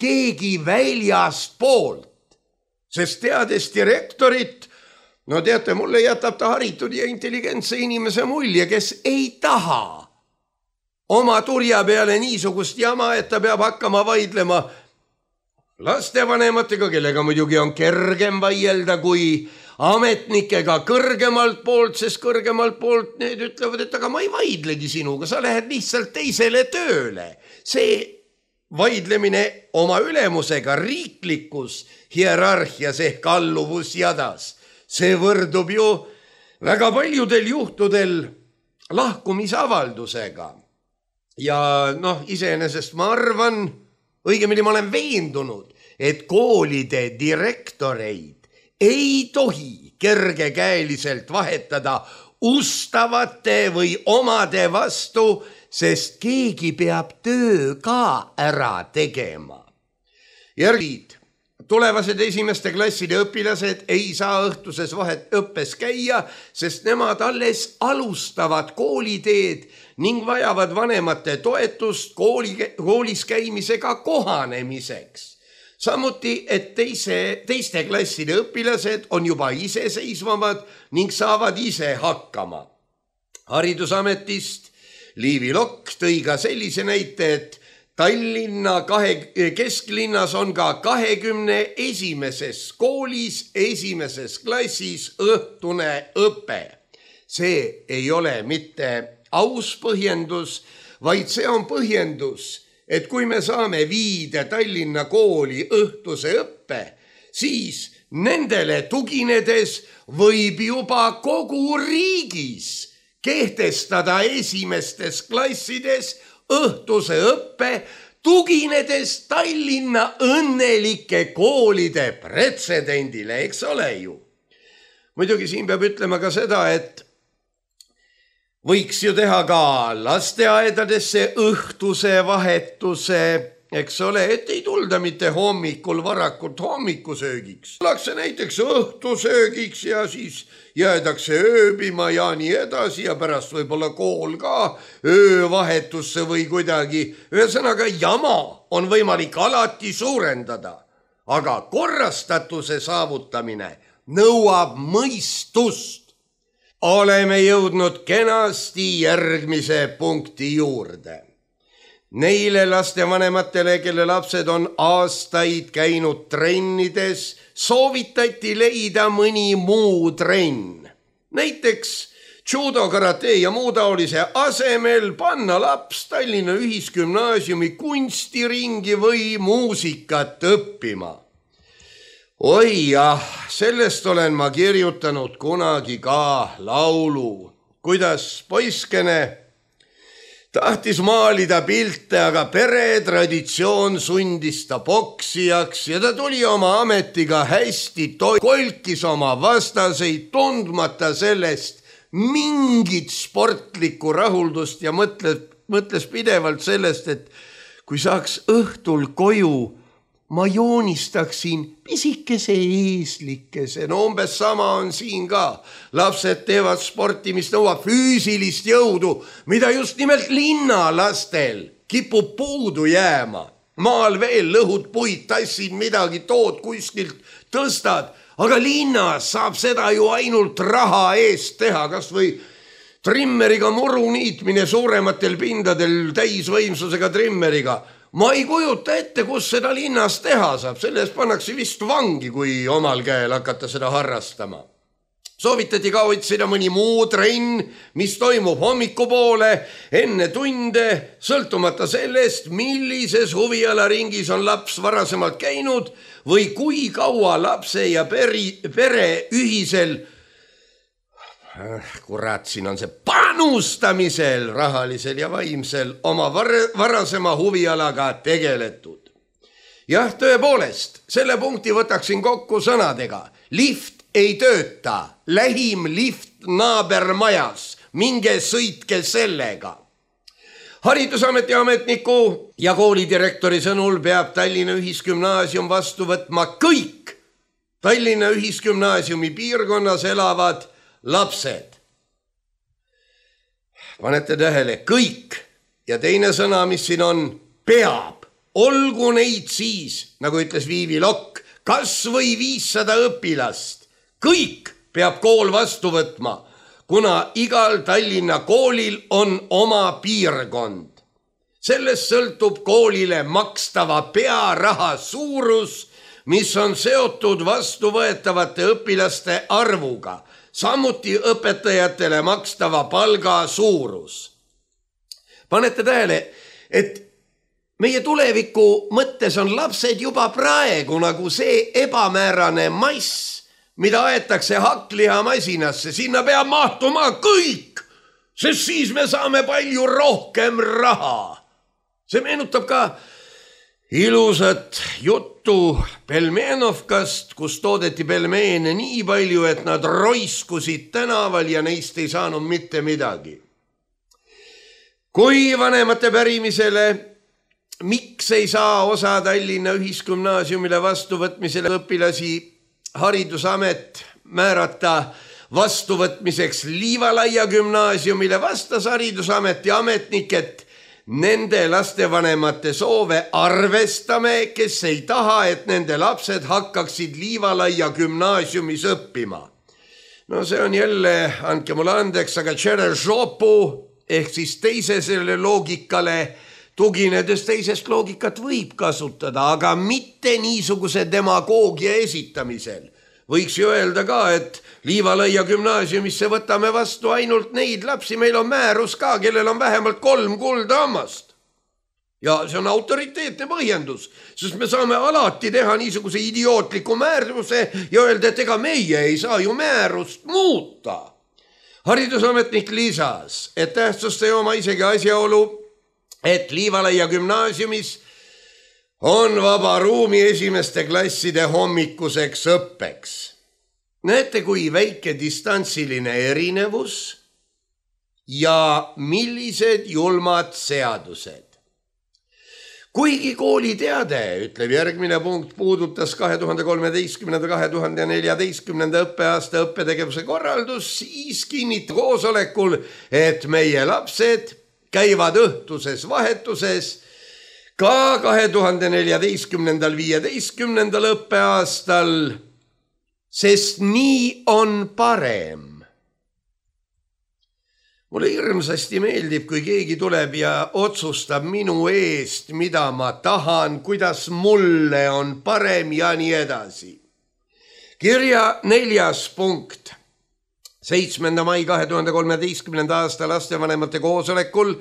keegi väljast poolt, sest teades direktorit, teate, mulle jätab ta haritud ja intelligentse inimese mulje, kes ei taha oma turja peale niisugust jama, et ta peab hakkama vaidlema lastevanematega, kellega muidugi on kergem vaielda kui ametnikega kõrgemalt poolt, sest kõrgemalt poolt need ütlevad, et aga ma ei vaidlegi sinuga, sa lähed lihtsalt teisele tööle. See vaidlemine oma ülemusega riiklikus hierarhias ehk alluvusjadas, see võrdub ju väga paljudel juhtudel lahkumisavaldusega. Ja iseenesest ma arvan, õigemini ma olen veendunud, et koolide direktoreid ei tohi kergekäeliselt vahetada ustavate või omade vastu, sest keegi peab töö ka ära tegema. Järgid, tulevased esimeste klasside õpilased ei saa õhtuses õppes käia, sest nemad alles alustavad kooliteed ning vajavad vanemate toetust koolis käimisega kohanemiseks. Samuti, et teiste klasside õpilased on juba iseseisvamad ning saavad ise hakkama. Haridusametist Liivi Lokk tõi ka sellise näite, et Tallinna kesklinnas on ka 21. koolis esimeses klassis õhtune õpe. See ei ole mitte aus põhjendus, vaid see on põhjendus, et kui me saame viide Tallinna kooli õhtuse õppe, siis nendele tuginedes võib juba kogu riigis kehtestada esimestes klassides õhtuse õppe, tuginedes Tallinna õnnelike koolide pretsedendile, eks ole ju. Muidugi siin peab ütlema ka seda, et võiks ju teha ka lasteaedadesse õhtuse vahetuse, eks ole, et ei tulda mitte hommikul varakult hommikusöögiks. Tullakse näiteks õhtusöögiks ja siis jäädakse ööbima ja nii edasi ja pärast võib-olla kool ka öövahetusse või kuidagi. Ühesõnaga jama on võimalik alati suurendada, aga korrastatuse saavutamine nõuab mõistust. Oleme jõudnud kenasti järgmise punkti juurde. Neile lastevanematele, kelle lapsed on aastaid käinud trennides, soovitati leida mõni muu trenn. Näiteks judo, karate ja muu taolise asemel panna laps Tallinna Ühisgümnaasiumi kunstiringi või muusikat õppima. oi jah, sellest olen ma kirjutanud kunagi ka laulu, kuidas poiskene tahtis maalida pilte, aga peretraditsioon sundis ta poksijaks ja ta tuli oma ametiga hästi kolkis oma vastaseid, tundmata sellest mingit sportlikku rahuldust ja mõtles pidevalt sellest, et kui saaks õhtul koju, ma joonistaksin pisikese eeslikese. No umbes sama on siin ka. Lapsed teevad sporti, mis nõuab füüsilist jõudu, mida just nimelt linnalastel kipub puudu jääma. Maal veel lõhud puid, tassid midagi, tood kuskilt, tõstad, aga linnas saab seda ju ainult raha eest teha, kas või trimmeriga muru niitmine suurematel pindadel täisvõimsusega trimmeriga. Ma ei kujuta ette, kus seda linnas teha saab, selles pannakse vist vangi, kui omal käel hakata seda harrastama. Soovitati ka otsida mõni muu trenn, mis toimub hommikupoole, enne tunde, sõltumata sellest, millises huvialaringis on laps varasemalt käinud või kui kaua lapse ja pere ühisel kurat, siin on see panustamisel, rahalisel ja vaimsel oma varasema huvialaga tegeletud. Jah, tõepoolest, selle punkti võtaksin kokku sõnadega. Lift ei tööta, lähim lift naabermajas, minge sõitke sellega. Haridusameti ametniku ja koolidirektori sõnul peab Tallinna Ühisgümnaasium vastu võtma kõik Tallinna Ühisgümnaasiumi piirkonnas elavad lapsed. Panete tähele, kõik. Ja teine sõna, mis siin on, peab. Olgu neid siis, nagu ütles Viivi Lokk, kas või 500 õpilast. Kõik peab kool vastu võtma, kuna igal Tallinna koolil on oma piirkond. Sellest sõltub koolile makstava pearaha suurus, mis on seotud vastuvõetavate õpilaste arvuga. Samuti õpetajatele makstava palga suurus. Panete tähele, et meie tuleviku mõttes on lapsed juba praegu nagu see ebamäärane mass, mida aetakse hakklihamasinasse. Sinna peab mahtuma kõik, sest siis me saame palju rohkem raha. See meenutab ka ilusat juttu Pelmenovkast, kus toodeti pelmeene nii palju, et nad roiskusid tänaval ja neist ei saanud mitte midagi. Kui vanemate pärimisele, miks ei saa osa Tallinna Ühisgümnaasiumile vastuvõtmisele õpilasi Haridusamet määrata vastuvõtmiseks Liivalaia gümnaasiumile, vastas Haridusameti ametnik, et nende lastevanemate soove arvestame, kes ei taha, et nende lapsed hakkaksid Liivalaia gümnaasiumis õppima. No see on jälle, andke mulle andeks, aga Tšerežopu ehk siis teisele loogikale tuginedes teisest loogikat võib kasutada, aga mitte niisuguse demagoogia esitamisel. Võiks ju öelda ka, et Liivalaia gümnaasiumisse võtame vastu ainult neid lapsi, meil on määrus ka, kellel on vähemalt 3 kuldahammast. Ja see on autoriteetne põhjendus, sest me saame alati teha niisuguse idiootliku määruse ja öelda, et ega meie ei saa ju määrust muuta. Haridusametnik lisas, et tähtsust ei oma isegi asjaolu, et Liivalaia gümnaasiumis on vaba ruumi esimeste klasside hommikuseks õppeks. Näete, kui väike distantsiline erinevus ja millised julmad seadused. Kuigi kooli teade, ütleb järgmine punkt, puudutas 2013-2014 õppeaasta õppetegevuse korraldus, siis kinnitab koosolekul, et meie lapsed käivad õhtuses vahetuses ka 2014-2015 õppeaastal, sest nii on parem. Mulle hirmsasti meeldib, kui keegi tuleb ja otsustab minu eest, mida ma tahan, kuidas mulle on parem ja nii edasi. Kirja 4. punkt. 7. mai 2013. aasta lastevanemate koosolekul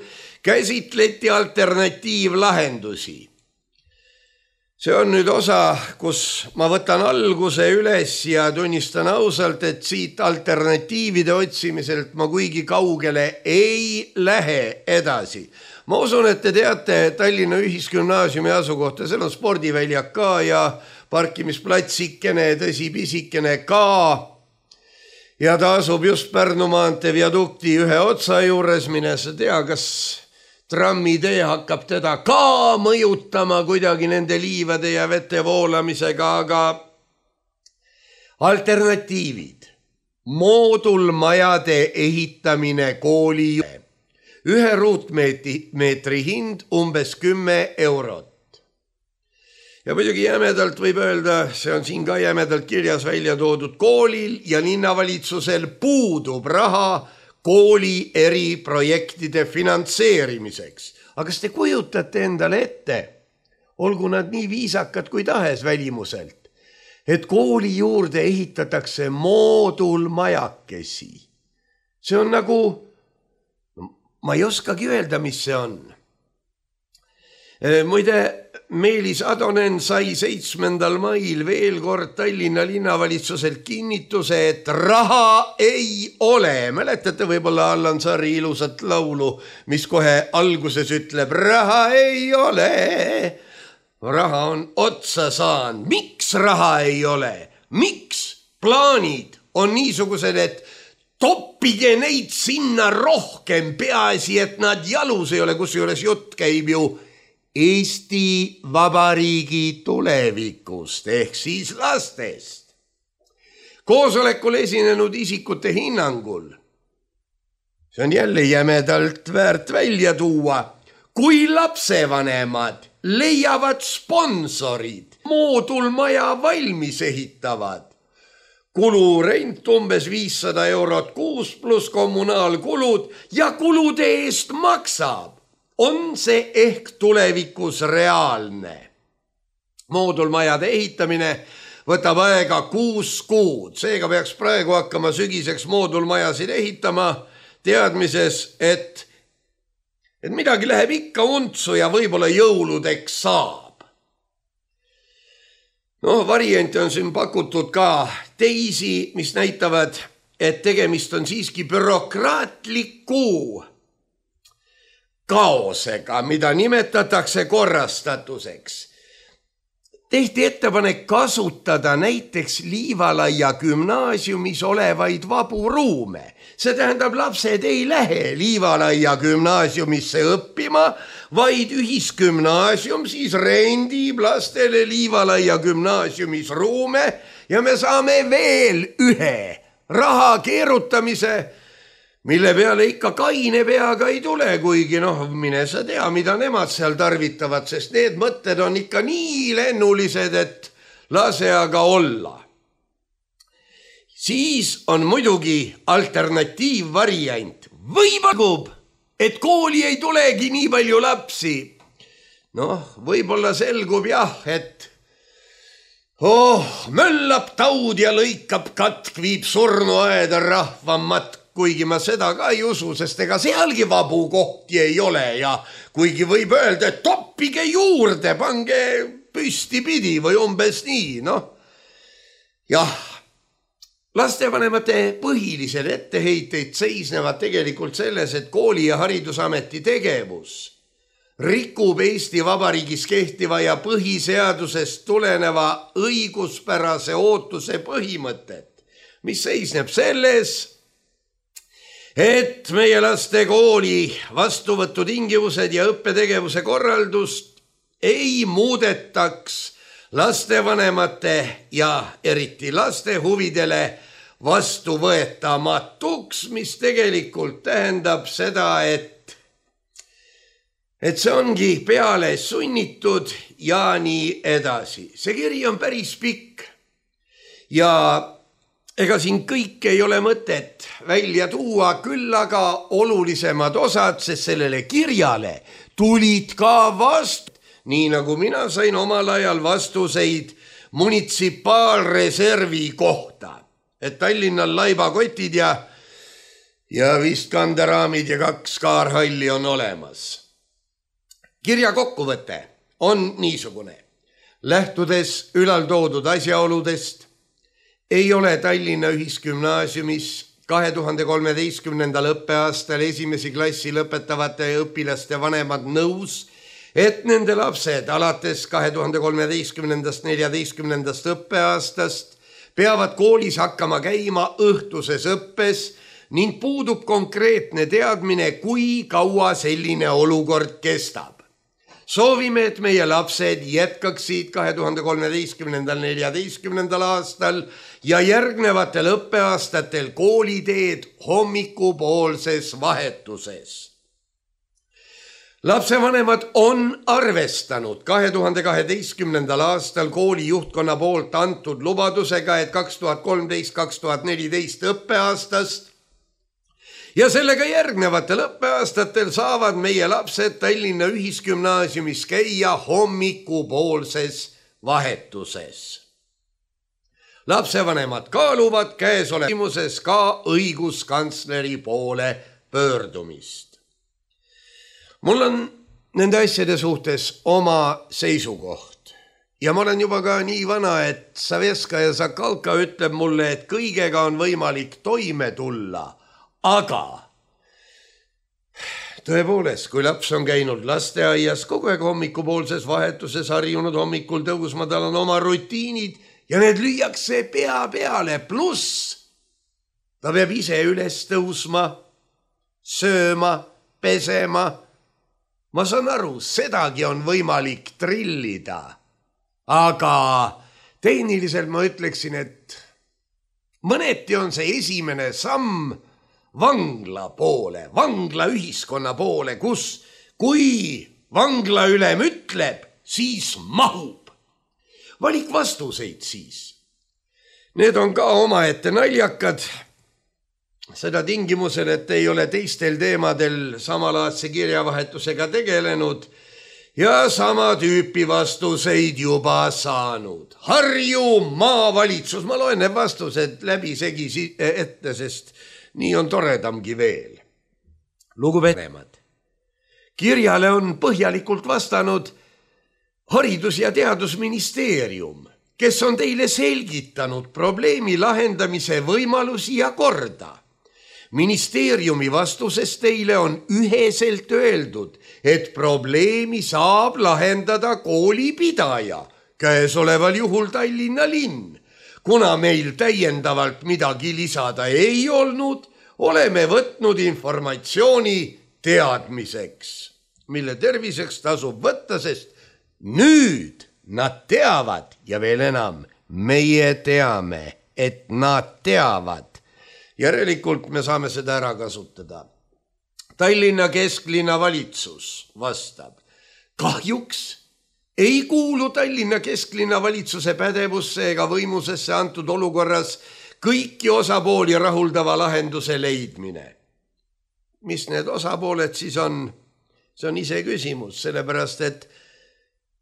käsitleti alternatiivlahendusi. See on nüüd osa, kus ma võtan alguse üles ja tunnistan ausalt, et siit alternatiivide otsimiselt ma kuigi kaugele ei lähe edasi. Ma usun, et te teate Tallinna Ühisgümnaasiumi asukohta, seal on spordiväljak ka ja parkimisplatsikene, tõsi pisikene ka. Ja ta asub just Pärnu maantee viadukti ühe otsa juures, mine sa tea, kas trammitee hakkab teda ka mõjutama kuidagi nende liivade ja vete voolamisega, aga alternatiivid. Moodulmajade ehitamine kooli juurde. 1 ruutmeetri hind umbes 10 eurot. Ja muidugi jämedalt võib öelda, see on siin ka jämedalt kirjas välja toodud, koolil ja linnavalitsusel puudub raha kooli eriprojektide finantseerimiseks. Aga kas te kujutate endale ette, olgu nad nii viisakad kui tahes välimuselt, et kooli juurde ehitatakse moodulmajakesi? See on nagu, ma ei oskagi öelda, mis see on. Muide, Meelis Atonen sai 7. mail veel kord Tallinna linnavalitsuselt kinnituse, et raha ei ole. Mäletate võib-olla Allan Saari ilusat laulu, mis kohe alguses ütleb, raha ei ole. Raha on otsa saanud. Miks raha ei ole? Miks plaanid on niisugused, et toppige neid sinna rohkem, peaasi, et nad jalus ei ole, kusjuures jutt käib ju Eesti Vabariigi tulevikust ehk siis lastest. Koosolekul esinenud isikute hinnangul, see on jälle jämedalt väärt välja tuua, kui lapsevanemad leiavad sponsorid, moodulmaja valmis ehitavad, kulurent umbes 500 eurot kuus pluss kommunaalkulud ja kulude eest maksab, on see ehk tulevikus reaalne. Moodulmajade ehitamine võtab aega 6 kuud, seega peaks praegu hakkama sügiseks moodulmajasid ehitama teadmises, et midagi läheb ikka untsu ja võib-olla jõuludeks saab. Variante on siin pakutud ka teisi, mis näitavad, et tegemist on siiski bürokraatliku kaosega, mida nimetatakse korrastatuseks. Tehti ettepanek kasutada näiteks Liivalaia gümnaasiumis olevaid vabu ruume. See tähendab, lapsed ei lähe Liivalaia gümnaasiumisse õppima, vaid ühisgümnaasium siis rendib lastele Liivalaia gümnaasiumis ruume ja me saame veel ühe raha keerutamise, mille peale ikka kaine peaga ei tule, kuigi mine sa tea, mida nemad seal tarvitavad, sest need mõtted on ikka nii lennulised, et lase aga olla. Siis on muidugi alternatiivvariant. Võib-olla, et kooli ei tulegi nii palju lapsi. Võib-olla selgub jah, et möllab taud ja lõikab katk, viib surnuaeda rahva matk. Kuigi ma seda ka ei usu, sest ega sealgi vabu kohti ei ole ja kuigi võib öelda, et toppige juurde, pange püsti pidi või umbes nii, Jah, lastevanemate põhilised etteheited seisnevad tegelikult selles, et kooli ja haridusameti tegevus rikub Eesti Vabariigis kehtiva ja põhiseadusest tuleneva õiguspärase ootuse põhimõtet, mis seisneb selles, et meie laste kooli vastuvõtutingimused ja õppetegevuse korraldust ei muudetaks lastevanemate ja eriti laste huvidele vastuvõetamatuks, mis tegelikult tähendab seda, et see ongi peale sunnitud ja nii edasi. See kiri on päris pikk ja ega siin kõik ei ole mõtet välja tuua, küll aga olulisemad osad, sest sellele kirjale tulid ka vastu, nii nagu mina sain omal ajal vastuseid munitsipaalreservi kohta, et Tallinnal laibakotid ja vist kanderaamid ja 2 kaarhalli on olemas. Kirja kokkuvõte on niisugune. Lähtudes ülaltoodud asjaoludest, ei ole Tallinna Ühisgümnaasiumis 2013. õppeaastal esimesi klassi lõpetavate õpilaste vanemad nõus, et nende lapsed alates 2013.–14. õppeaastast peavad koolis hakkama käima õhtuses õppes ning puudub konkreetne teadmine, kui kaua selline olukord kestab. Soovime, et meie lapsed jätkaksid 2013.–14. aastal ja järgnevatel õppeaastatel kooliteed hommikupoolses vahetuses. Lapsevanemad on arvestanud 2012. aastal kooli juhtkonna poolt antud lubadusega, et 2013-2014 õppeaastast ja sellega järgnevatel õppeaastatel saavad meie lapsed Tallinna Ühisgümnaasiumis käia hommikupoolses vahetuses. Lapsevanemad kaaluvad käesolevases ka õiguskantsleri poole pöördumist. Mul on nende asjade suhtes oma seisukoht ja ma olen juba ka nii vana, et Saveska ja Sakalka ütleb mulle, et kõigega on võimalik toime tulla. Aga tõepoolest, kui laps on käinud lasteaias kogu aeg hommikupoolses vahetuses harjunud hommikul tõusma, tal on oma rutiinid ja need lüüakse pea peale, pluss ta peab ise üles tõusma, sööma, pesema. Ma saan aru, sedagi on võimalik trillida, aga tehniliselt ma ütleksin, et mõneti on see esimene samm vangla poole, vangla ühiskonna poole, kus kui vangla ülem ütleb, siis mahub. Valik vastuseid siis. Need on ka omaette naljakad. Seda tingimusel, et ei ole teistel teemadel samalaadse kirjavahetusega tegelenud ja sama tüüpi vastuseid juba saanud. Harju maavalitsus, ma loen need vastused läbi segi ette, sest nii on toredamgi veel. Lugupeetud, kirjale on põhjalikult vastanud Haridus- ja Teadusministeerium, kes on teile selgitanud probleemi lahendamise võimalusi ja korda. Ministeeriumi vastuses teile on üheselt öeldud, et probleemi saab lahendada koolipidaja, käesoleval juhul Tallinna linn. Kuna meil täiendavalt midagi lisada ei olnud, oleme võtnud informatsiooni teadmiseks, mille terviseks tasub võtta, sest nüüd nad teavad ja veel enam, meie teame, et nad teavad. Järelikult me saame seda ära kasutada. Tallinna kesklinna valitsus vastab. Kahjuks ei kuulu Tallinna kesklinna valitsuse pädevusse ega võimusesse antud olukorras kõiki osapooli rahuldava lahenduse leidmine. Mis need osapooled siis on? See on ise küsimus, sellepärast et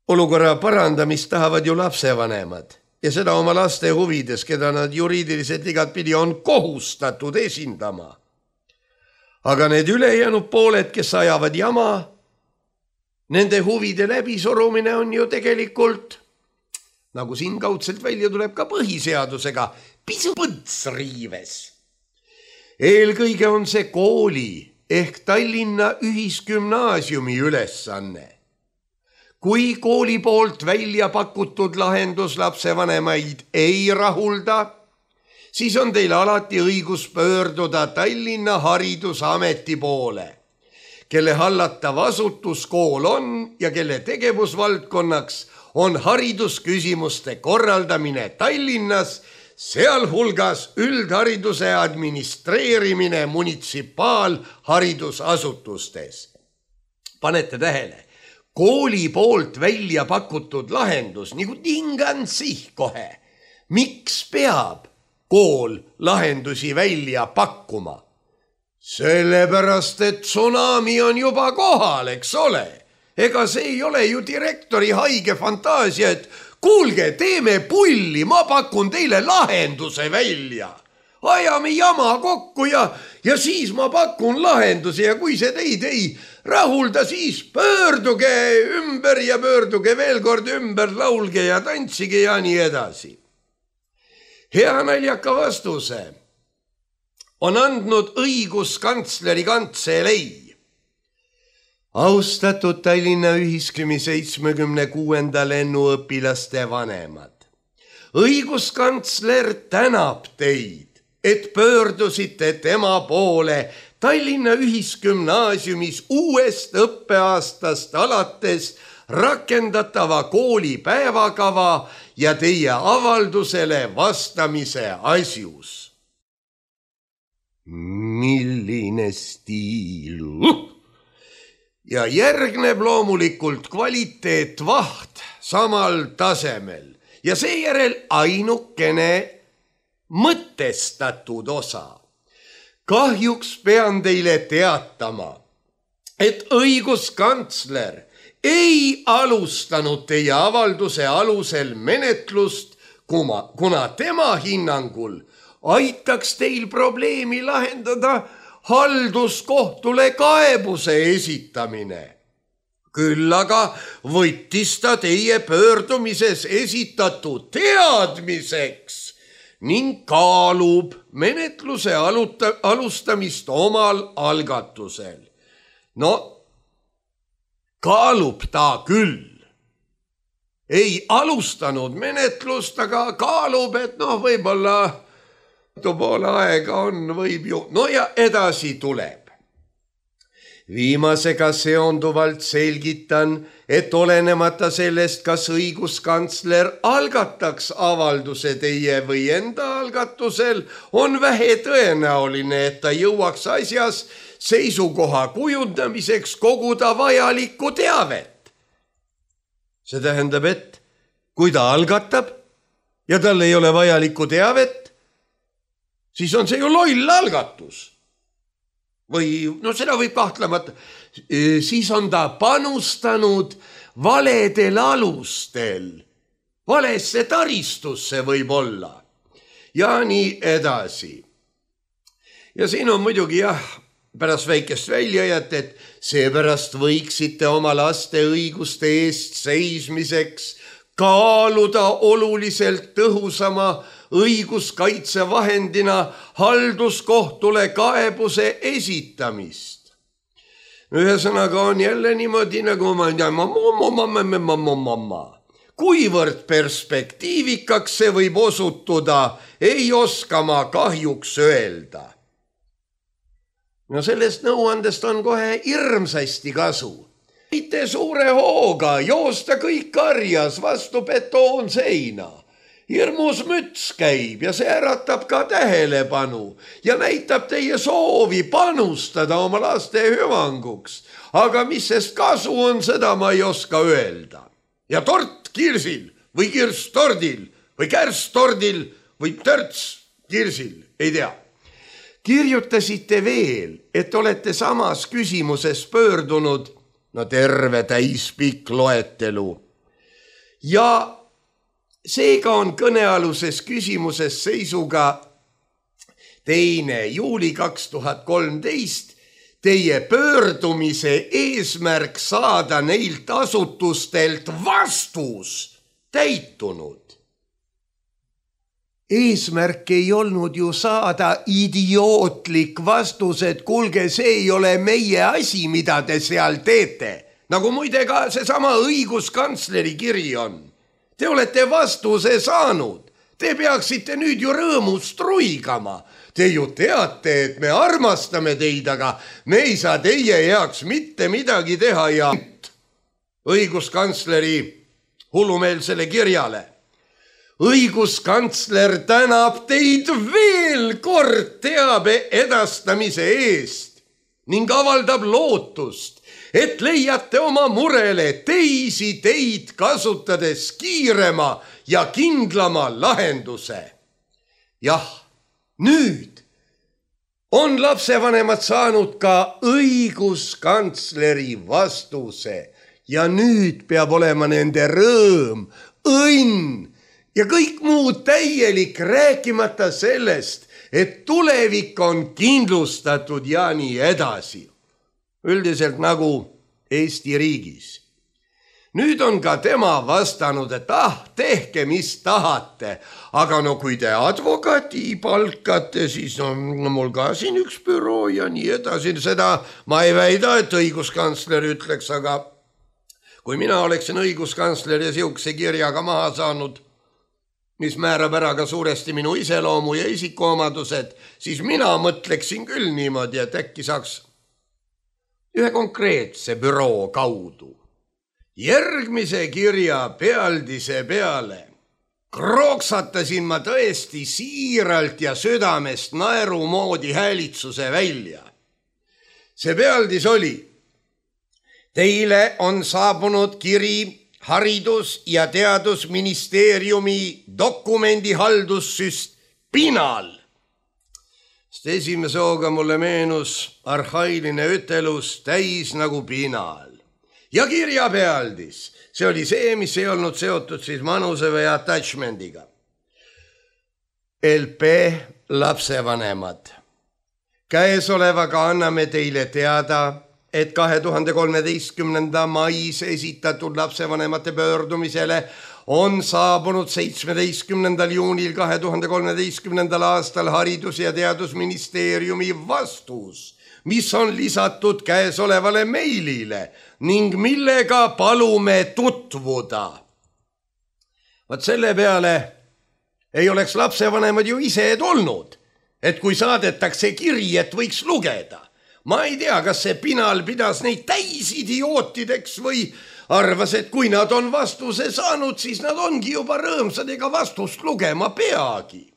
olukorra parandamist tahavad ju lapsevanemad ja seda oma laste huvides, keda nad juriidiliselt igatpidi on kohustatud esindama. Aga need ülejäänud pooled, kes ajavad jama, nende huvide läbisurumine on ju tegelikult, nagu siin kaudselt välja tuleb ka põhiseadusega, pisut põntsriives. Eelkõige on see kooli ehk Tallinna Ühisgümnaasiumi ülesanne. Kui kooli poolt välja pakutud lahendus lapsevanemaid ei rahulda, siis on teil alati õigus pöörduda Tallinna Haridusameti poole, kelle hallatav asutuskool on ja kelle tegevusvaldkonnaks on haridusküsimuste korraldamine Tallinnas, sealhulgas üldhariduse administreerimine munitsipaalharidusasutustes. Panete tähele, kooli poolt välja pakutud lahendus, nagu tingan kohe. Miks peab kool lahendusi välja pakkuma? Sellepärast, et tsunami on juba kohal, eks ole. Ega see ei ole ju direktori haige fantaasia, et kuulge, teeme pulli, ma pakun teile lahenduse välja. ajame jama kokku ja siis ma pakun lahendusi ja kui see teid ei rahulda, siis pöörduge ümber ja pöörduge veel kord ümber, laulge ja tantsige ja nii edasi. Hea naljaka vastuse on andnud õiguskantsleri kantselei. Austatud Tallinna Ühiskümi 76. lennuõpilaste vanemad. Õiguskantsler tänab teid, et pöördusite tema poole Tallinna Ühisgümnaasiumis uuest õppeaastast alates rakendatava kooli päevakava ja teie avaldusele vastamise asjus. Milline stiil! Ja järgneb loomulikult kvaliteetvaht samal tasemel ja seejärel ainukene mõtestatud osa. Kahjuks pean teile teatama, et õiguskantsler ei alustanud teie avalduse alusel menetlust, kuna tema hinnangul aitaks teil probleemi lahendada halduskohtule kaebuse esitamine. Küll aga võttis ta teie pöördumises esitatud teadmiseks ning kaalub menetluse alustamist omal algatusel. No, kaalub ta küll. Ei alustanud menetlust, aga kaalub, et võib-olla poole aega on, võib ju. No ja edasi tuleb. Viimasega seonduvalt selgitan, et olenemata sellest, kas õiguskantsler algataks avalduse teie või enda algatusel, on vähe tõenäoline, et ta jõuaks asjas seisukoha kujundamiseks koguda vajalikku teavet. See tähendab, et kui ta algatab ja tal ei ole vajalikku teavet, siis on see ju loll algatus. Või seda võib kahtlemata. Siis on ta panustanud valedel alustel. Valesse taristusse võib olla. Ja nii edasi. Ja siin on muidugi pärast väikest väljajat, et seepärast võiksite oma laste õiguste eest seismiseks kaaluda oluliselt tõhusama õiguskaitsevahendina halduskohtule kaebuse esitamist. Ühesõnaga on jälle niimoodi, nagu kuivõrd perspektiivikaks see võib osutuda, ei oska ma kahjuks öelda. Sellest nõuandest on kohe hirmsasti kasu. Mitte suure hooga joosta kõik karjas vastu betoonseina. Hirmus müts käib ja see äratab ka tähelepanu ja näitab teie soovi panustada oma laste hüvanguks. Aga mis sest kasu on, seda ma ei oska öelda. Ja tort kirsil või kirss tordil või kärss tordil või törts kirsil, ei tea. Kirjutasite veel, et olete samas küsimuses pöördunud, terve täispikk loetelu. Ja seega on kõnealuses küsimuses seisuga 2. juuli 2013 teie pöördumise eesmärk saada neilt asutustelt vastus täitunud. Eesmärk ei olnud ju saada idiootlik vastus, et kuulge, see ei ole meie asi, mida te seal teete. Nagu muide ka seesama õiguskantsleri kiri on. Te olete vastuse saanud. Te peaksite nüüd ju rõõmust ruigama. Te ju teate, et me armastame teid, aga me ei saa teie heaks mitte midagi teha ja õiguskantsleri hullumeelsele kirjale. Õiguskantsler tänab teid veel kord teabe edastamise eest ning avaldab lootust, et leiate oma murele teisi teid kasutades kiirema ja kindlama lahenduse. Jah, nüüd on lapsevanemad saanud ka õiguskantsleri vastuse ja nüüd peab olema nende rõõm, õnn ja kõik muud täielik, rääkimata sellest, et tulevik on kindlustatud ja nii edasi. Üldiselt nagu Eesti riigis. Nüüd on ka tema vastanud, et tehke mis tahate, aga no kui te advokaati palkate, siis on mul ka siin üks büroo ja nii edasi. Seda ma ei väida, et õiguskantsler ütleks, aga kui mina oleksin õiguskantsler ja siukse kirjaga maha saanud, mis määrab ära ka suuresti minu iseloomu ja isikuomadused, siis mina mõtleksin küll niimoodi, et äkki saaks ühe konkreetse büroo kaudu järgmise kirja pealdise peale krooksatasin ma tõesti siiralt ja südamest naerumoodi häälitsuse välja. See pealdis oli: teile on saabunud kiri Haridus- ja Teadusministeeriumi dokumendihaldussüst Pinal. Esimese hooga mulle meenus arhailine ütelus täis nagu pinal. Ja kirja pealdis, see oli see, mis ei olnud seotud siis manuse või attachmendiga. LP lapsevanemad. Käesolevaga anname teile teada, et 2013. mais esitatud lapsevanemate pöördumisele on saabunud 17. juunil 2013. aastal Haridus- ja Teadusministeeriumi vastus, mis on lisatud käesolevale meilile ning millega palume tutvuda. Vaat selle peale ei oleks lapsevanemad ju ise tulnud, et kui saadetakse kiri, et võiks lugeda. Ma ei tea, kas see Pinal pidas neid täisidiootideks või arvas, et kui nad on vastuse saanud, siis nad ongi juba rõõmsad ega vastust lugema peagi.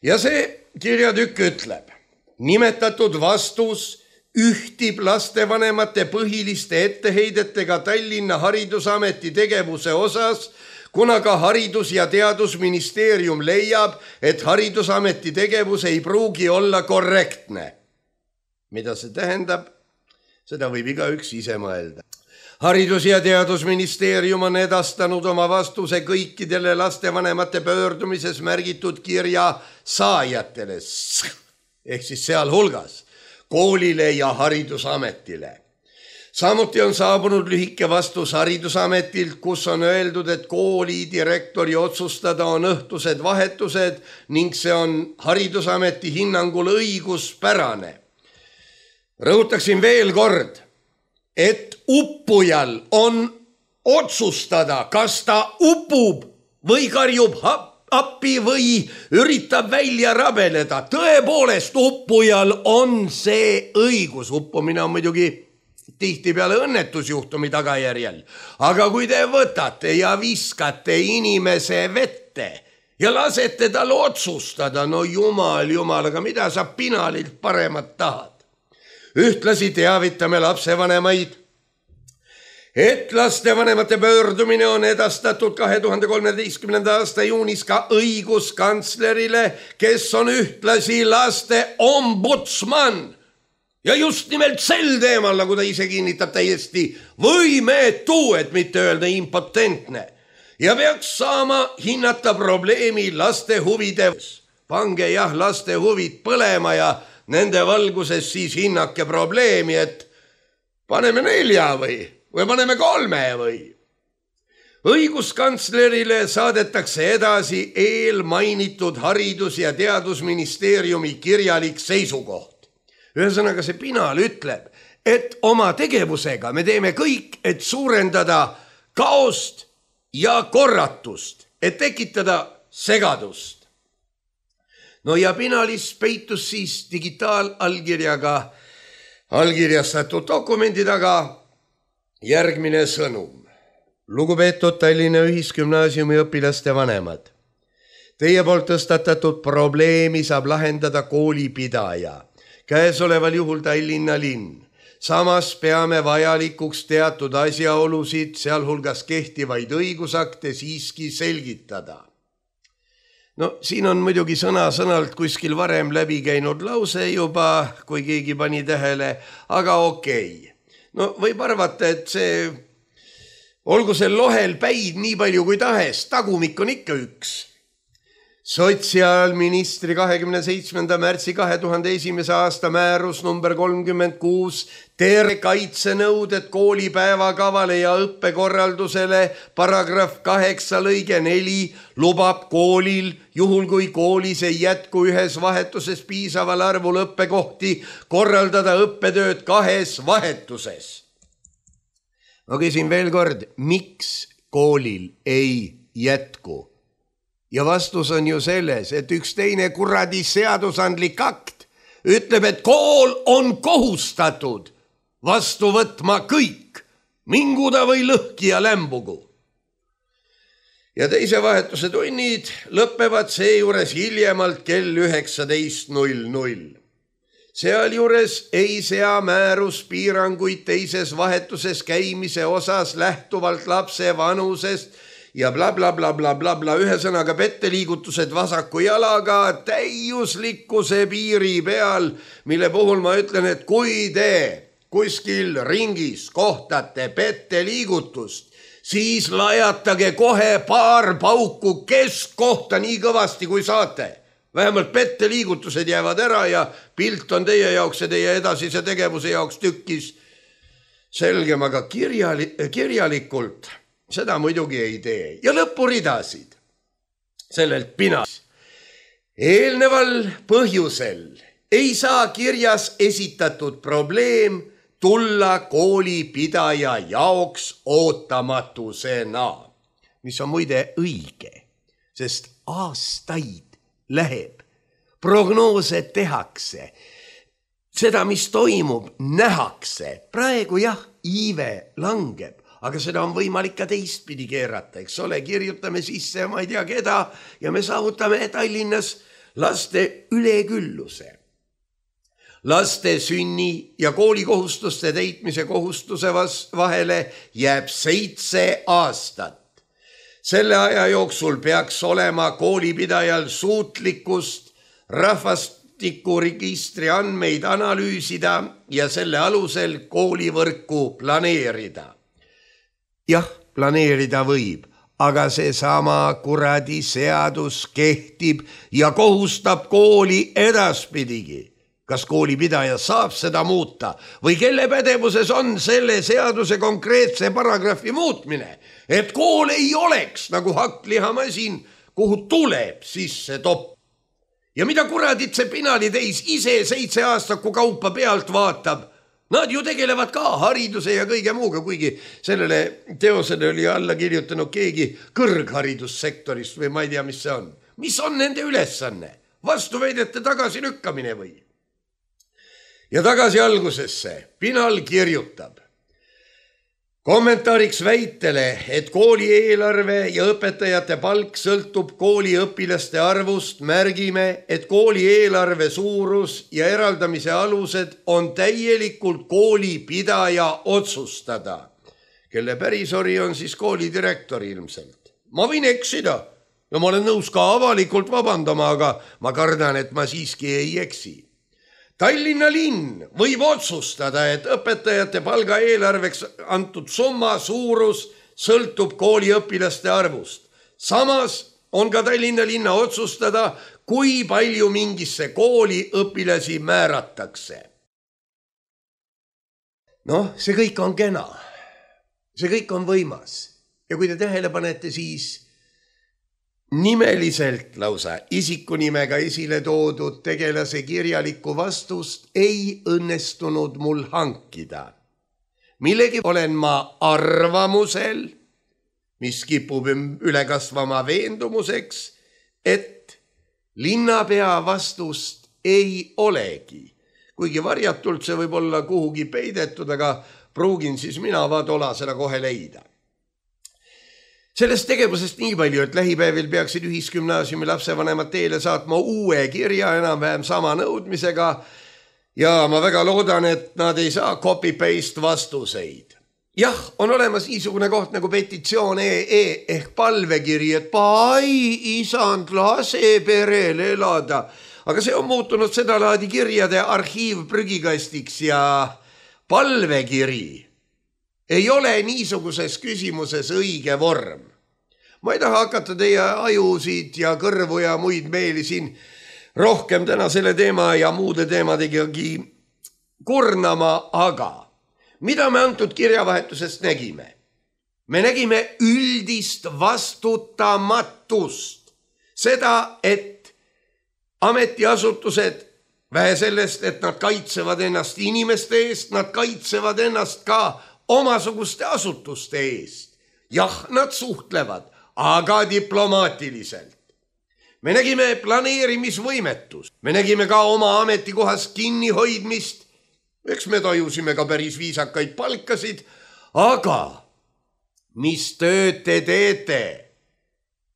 Ja see kirjatükk ütleb: nimetatud vastus ühtib lastevanemate põhiliste etteheidetega Tallinna Haridusameti tegevuse osas, kuna ka Haridus- ja Teadusministeerium leiab, et Haridusameti tegevus ei pruugi olla korrektne. Mida see tähendab? Seda võib igaüks ise mõelda. Haridus- ja Teadusministeerium on edastanud oma vastuse kõikidele lastevanemate pöördumises märgitud kirja saajatele, ehk siis sealhulgas koolile ja Haridusametile. Samuti on saabunud lühike vastus Haridusametilt, kus on öeldud, et kooli direktori otsustada on õhtused vahetused ning see on Haridusameti hinnangul õiguspärane. Rõhutaksin veel kord, et uppujal on otsustada, kas ta upub või karjub appi või üritab välja rabeleda. Tõepoolest, uppujal on see õigus. Uppumine on muidugi tihtipeale õnnetusjuhtumi tagajärjel. Aga kui te võtate ja viskate inimese vette ja lasete tal otsustada, no jumal, aga mida sa Pinalilt paremat tahad? Ühtlasi teavitame lapsevanemaid, et lastevanemate pöördumine on edastatud 2013. aasta juunis ka õiguskantslerile, kes on ühtlasi laste ombudsman. Ja just nimelt sel teemal, nagu ta ise kinnitab, täiesti võimetu, et mitte öelda impotentne. Ja peaks saama hinnata probleemi laste huvides. Pange jah laste huvid põlema ja nende valguses siis hinnake probleemi, et paneme 4 või paneme 3 või. Õiguskantslerile saadetakse edasi eelmainitud Haridus- ja Teadusministeeriumi kirjalik seisukoht. Ühesõnaga see Pinal ütleb, et oma tegevusega me teeme kõik, et suurendada kaost ja korratust, et tekitada segadust. No ja Pinalis peitus siis digitaalallkirjaga allkirjastatud dokumendi taga järgmine sõnum. Lugupeetud Tallinna Ühisgümnaasiumi õpilaste vanemad, teie poolt tõstatatud probleemi saab lahendada koolipidaja, käesoleval juhul Tallinna linn. Samas peame vajalikuks teatud asjaolusid, sealhulgas kehtivaid õigusakte siiski selgitada. No siin on muidugi sõna-sõnalt kuskil varem läbi käinud lause juba, kui keegi pani tähele, aga okei. No võib arvata, et see, olgu see lohel päid nii palju kui tahes, tagumik on ikka üks. Sotsiaalministri 27. märtsi 2001. aasta määrus number 36 tervekaitsenõuded koolipäevakavale ja õppekorraldusele paragrahv 8 lõige 4 lubab koolil, juhul kui koolis ei jätku ühes vahetuses piisaval arvul õppekohti, korraldada õppetööd 2 vahetuses. Ma küsin veel kord, miks koolil ei jätku? Ja vastus on ju selles, et üks teine kuradi seadusandlik akt ütleb, et kool on kohustatud vastu võtma kõik, minguda või lõhki ja lämbugu. Ja teise vahetuse tunnid lõpevad seejuures hiljemalt kell 19.00. Sealjuures ei sea määrus piiranguid teises vahetuses käimise osas lähtuvalt lapse vanusest ja blablabla, ühesõnaga petteliigutused vasaku jalaga täiuslikkuse piiri peal, mille puhul ma ütlen, et kui te kuskil ringis kohtate petteliigutust, siis lajatage kohe paar pauku keskkohta nii kõvasti kui saate. Vähemalt petteliigutused jäävad ära ja pilt on teie jaoks ja teie edasise tegevuse jaoks tükkis selgem, aga kirjalikult seda muidugi ei tee. Ja lõpuridasid sellelt pinas. Eelneval põhjusel ei saa kirjas esitatud probleem tulla koolipidaja jaoks ootamatusena, mis on muide õige, sest aastaid läheb, prognoose tehakse, seda, mis toimub, nähakse. Praegu jah, iive langeb, aga seda on võimalik ka teistpidi keerata, eks ole, kirjutame sisse ma ei tea keda ja me saavutame Tallinnas laste ülekülluse. Laste sünni ja koolikohustuste täitmise kohustuse vahele jääb 7 aastat. Selle aja jooksul peaks olema koolipidajal suutlikkust rahvastikuregistri andmeid analüüsida ja selle alusel koolivõrku planeerida. Jah, planeerida võib, aga seesama kuradi seadus kehtib ja kohustab kooli edaspidigi. Kas koolipidaja saab seda muuta või kelle pädevuses on selle seaduse konkreetse paragrahvi muutmine, et kool ei oleks nagu hakklihamasin, kuhu tuleb sisse topp. Ja mida kuradit see pinaliteis ise 7 aastaku kaupa pealt vaatab, nad ju tegelevad ka hariduse ja kõige muuga, kuigi sellele teosele oli alla kirjutanud keegi kõrgharidussektorist või ma ei tea, mis see on. Mis on nende ülesanne? Vastuväidete tagasi lükkamine või? Ja tagasi algusesse. Pinal kirjutab. Kommentaariks väitele, et kooli eelarve ja õpetajate palk sõltub kooli õpilaste arvust, märgime, et kooli eelarve suurus ja eraldamise alused on täielikult koolipidaja otsustada, kelle pärisori on siis koolidirektor ilmselt. Ma võin eksida ja ma olen nõus ka avalikult vabandama, aga ma kardan, et ma siiski ei eksi. Tallinna linn võib otsustada, et õpetajate palga eelarveks antud summa suurus sõltub kooli õpilaste arvust. Samas on ka Tallinna linna otsustada, kui palju mingisse kooli õpilasi määratakse. Noh, see kõik on kena. See kõik on võimas. Ja kui te tähele panete, siis nimeliselt lausa isikunimega esile toodud tegelase kirjalikku vastust ei õnnestunud mul hankida. Millegi olen ma arvamusel, mis kipub üle kasvama veendumuseks, et linnapea vastust ei olegi. Kuigi varjatult see võib olla kuhugi peidetud, aga pruugin siis mina vaatola seda kohe leida. Sellest tegevusest nii palju, et lähipäevil peaksid ühisgümnaasiumi lapsevanemad teele saatma uue kirja enam-vähem sama nõudmisega ja ma väga loodan, et nad ei saa copy-paste vastuseid. Jah, on olemas niisugune koht nagu petitsioon ehk palvekiri, et isand, lase perel elada. Aga see on muutunud seda laadi kirjade arhiivprügikastiks ja palvekiri ei ole niisuguses küsimuses õige vorm. Ma ei taha hakata teie ajusid ja kõrvu ja muid meeli siin rohkem täna selle teema ja muude teemadegagi kurnama, aga mida me antud kirjavahetusest nägime? Me nägime üldist vastutamatust. Seda, et ametiasutused, vähe sellest, et nad kaitsevad ennast inimeste eest, nad kaitsevad ennast ka omasuguste asutuste eest. Jah, nad suhtlevad, aga diplomaatiliselt. Me nägime planeerimisvõimetust. Me nägime ka oma ametikohas kinnihoidmist. Eks me tajusime ka päris viisakaid palkasid, aga mis tööd te teete,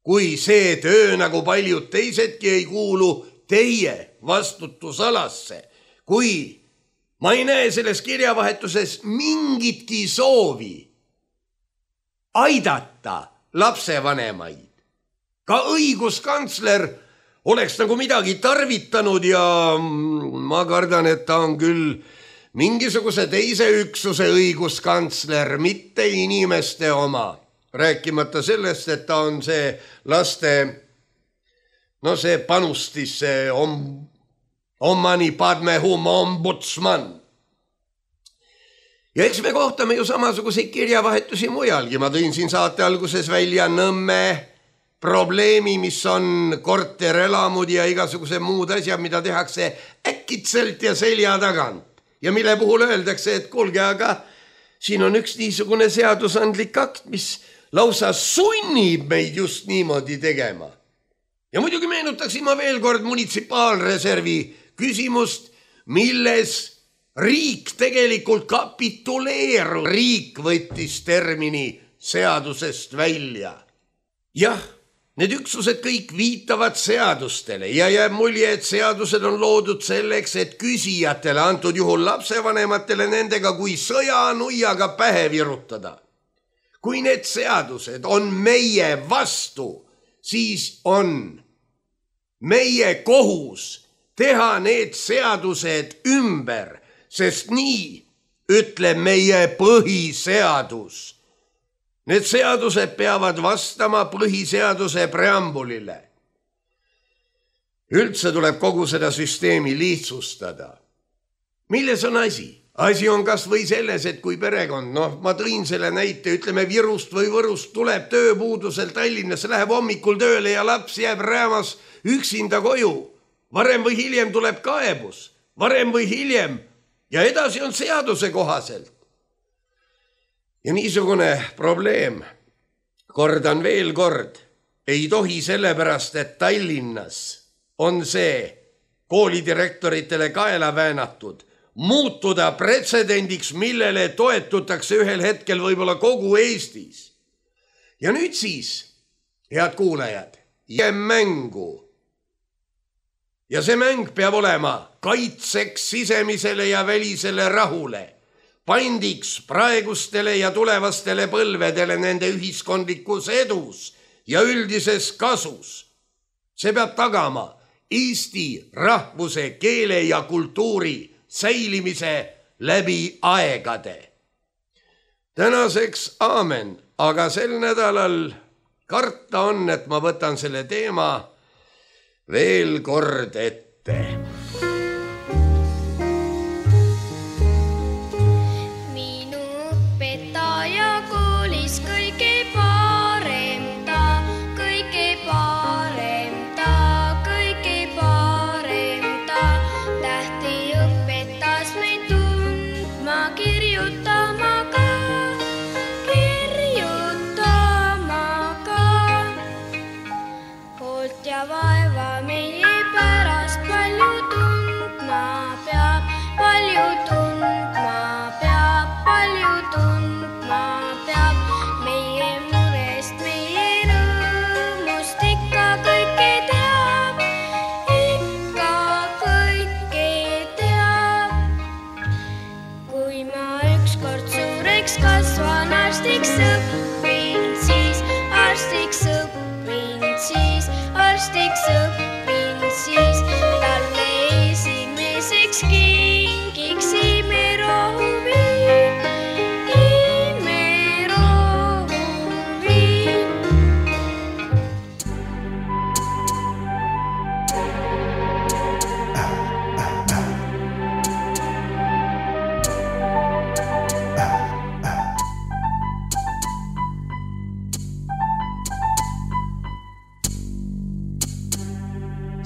kui see töö nagu paljud teisedki ei kuulu teie vastutusalasse, kui ma ei näe selles kirjavahetuses mingitki soovi aidata lapsevanemaid. Ka õiguskantsler oleks nagu midagi tarvitanud ja ma kardan, et ta on küll mingisuguse teise üksuse õiguskantsler, mitte inimeste oma. Rääkimata sellest, et ta on see laste, see panustis, see Omani Padme Hum ombudsman. Ja eks me kohtame ju samasuguseid kirjavahetusi mujalgi. Ma tõin siin saate alguses välja Nõmme probleemi, mis on korterelamud ja igasuguse muud asjad, mida tehakse äkitselt ja selja tagant. Ja mille puhul öeldakse, et kuulge, aga siin on üks niisugune seadusandlik akt, mis lausa sunnib meid just niimoodi tegema. Ja muidugi meenutaksin ma veel kord munitsipaalreservi küsimust, milles riik tegelikult kapituleerub. Riik võttis termini seadusest välja. Jah, need üksused kõik viitavad seadustele ja jääb mulje, et seadused on loodud selleks, et küsijatele, antud juhul lapsevanematele, nendega kui sõjanuiaga pähe virutada. Kui need seadused on meie vastu, siis on meie kohus teha need seadused ümber, sest nii ütleb meie põhiseadus. Need seadused peavad vastama põhiseaduse preambulile. Üldse tuleb kogu seda süsteemi lihtsustada. Milles on asi? Asi on kas või selles, et kui perekond, ma tõin selle näite, ütleme Virust või Võrust tuleb tööpuudusel Tallinnasse, läheb hommikul tööle ja laps jääb räämas üksinda koju. Varem või hiljem tuleb kaebus, varem või hiljem ja edasi on seaduse kohaselt. Ja niisugune probleem, kordan veel kord, ei tohi sellepärast, et Tallinnas on see koolidirektoritele kaela väänatud, muutuda pretsedendiks, millele toetutakse ühel hetkel võib-olla kogu Eestis. Ja nüüd siis, head kuulajad, mängu. Ja see mäng peab olema kaitseks sisemisele ja välisele rahule, pandiks praegustele ja tulevastele põlvedele nende ühiskondlikus edus ja üldises kasus. See peab tagama Eesti rahvuse, keele ja kultuuri säilimise läbi aegade. Tänaseks aamen, aga sel nädalal karta on, et ma võtan selle teema veel kord ette.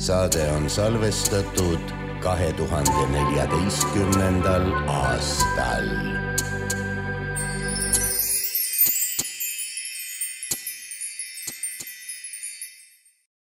saade on salvestatud 2014. aastal.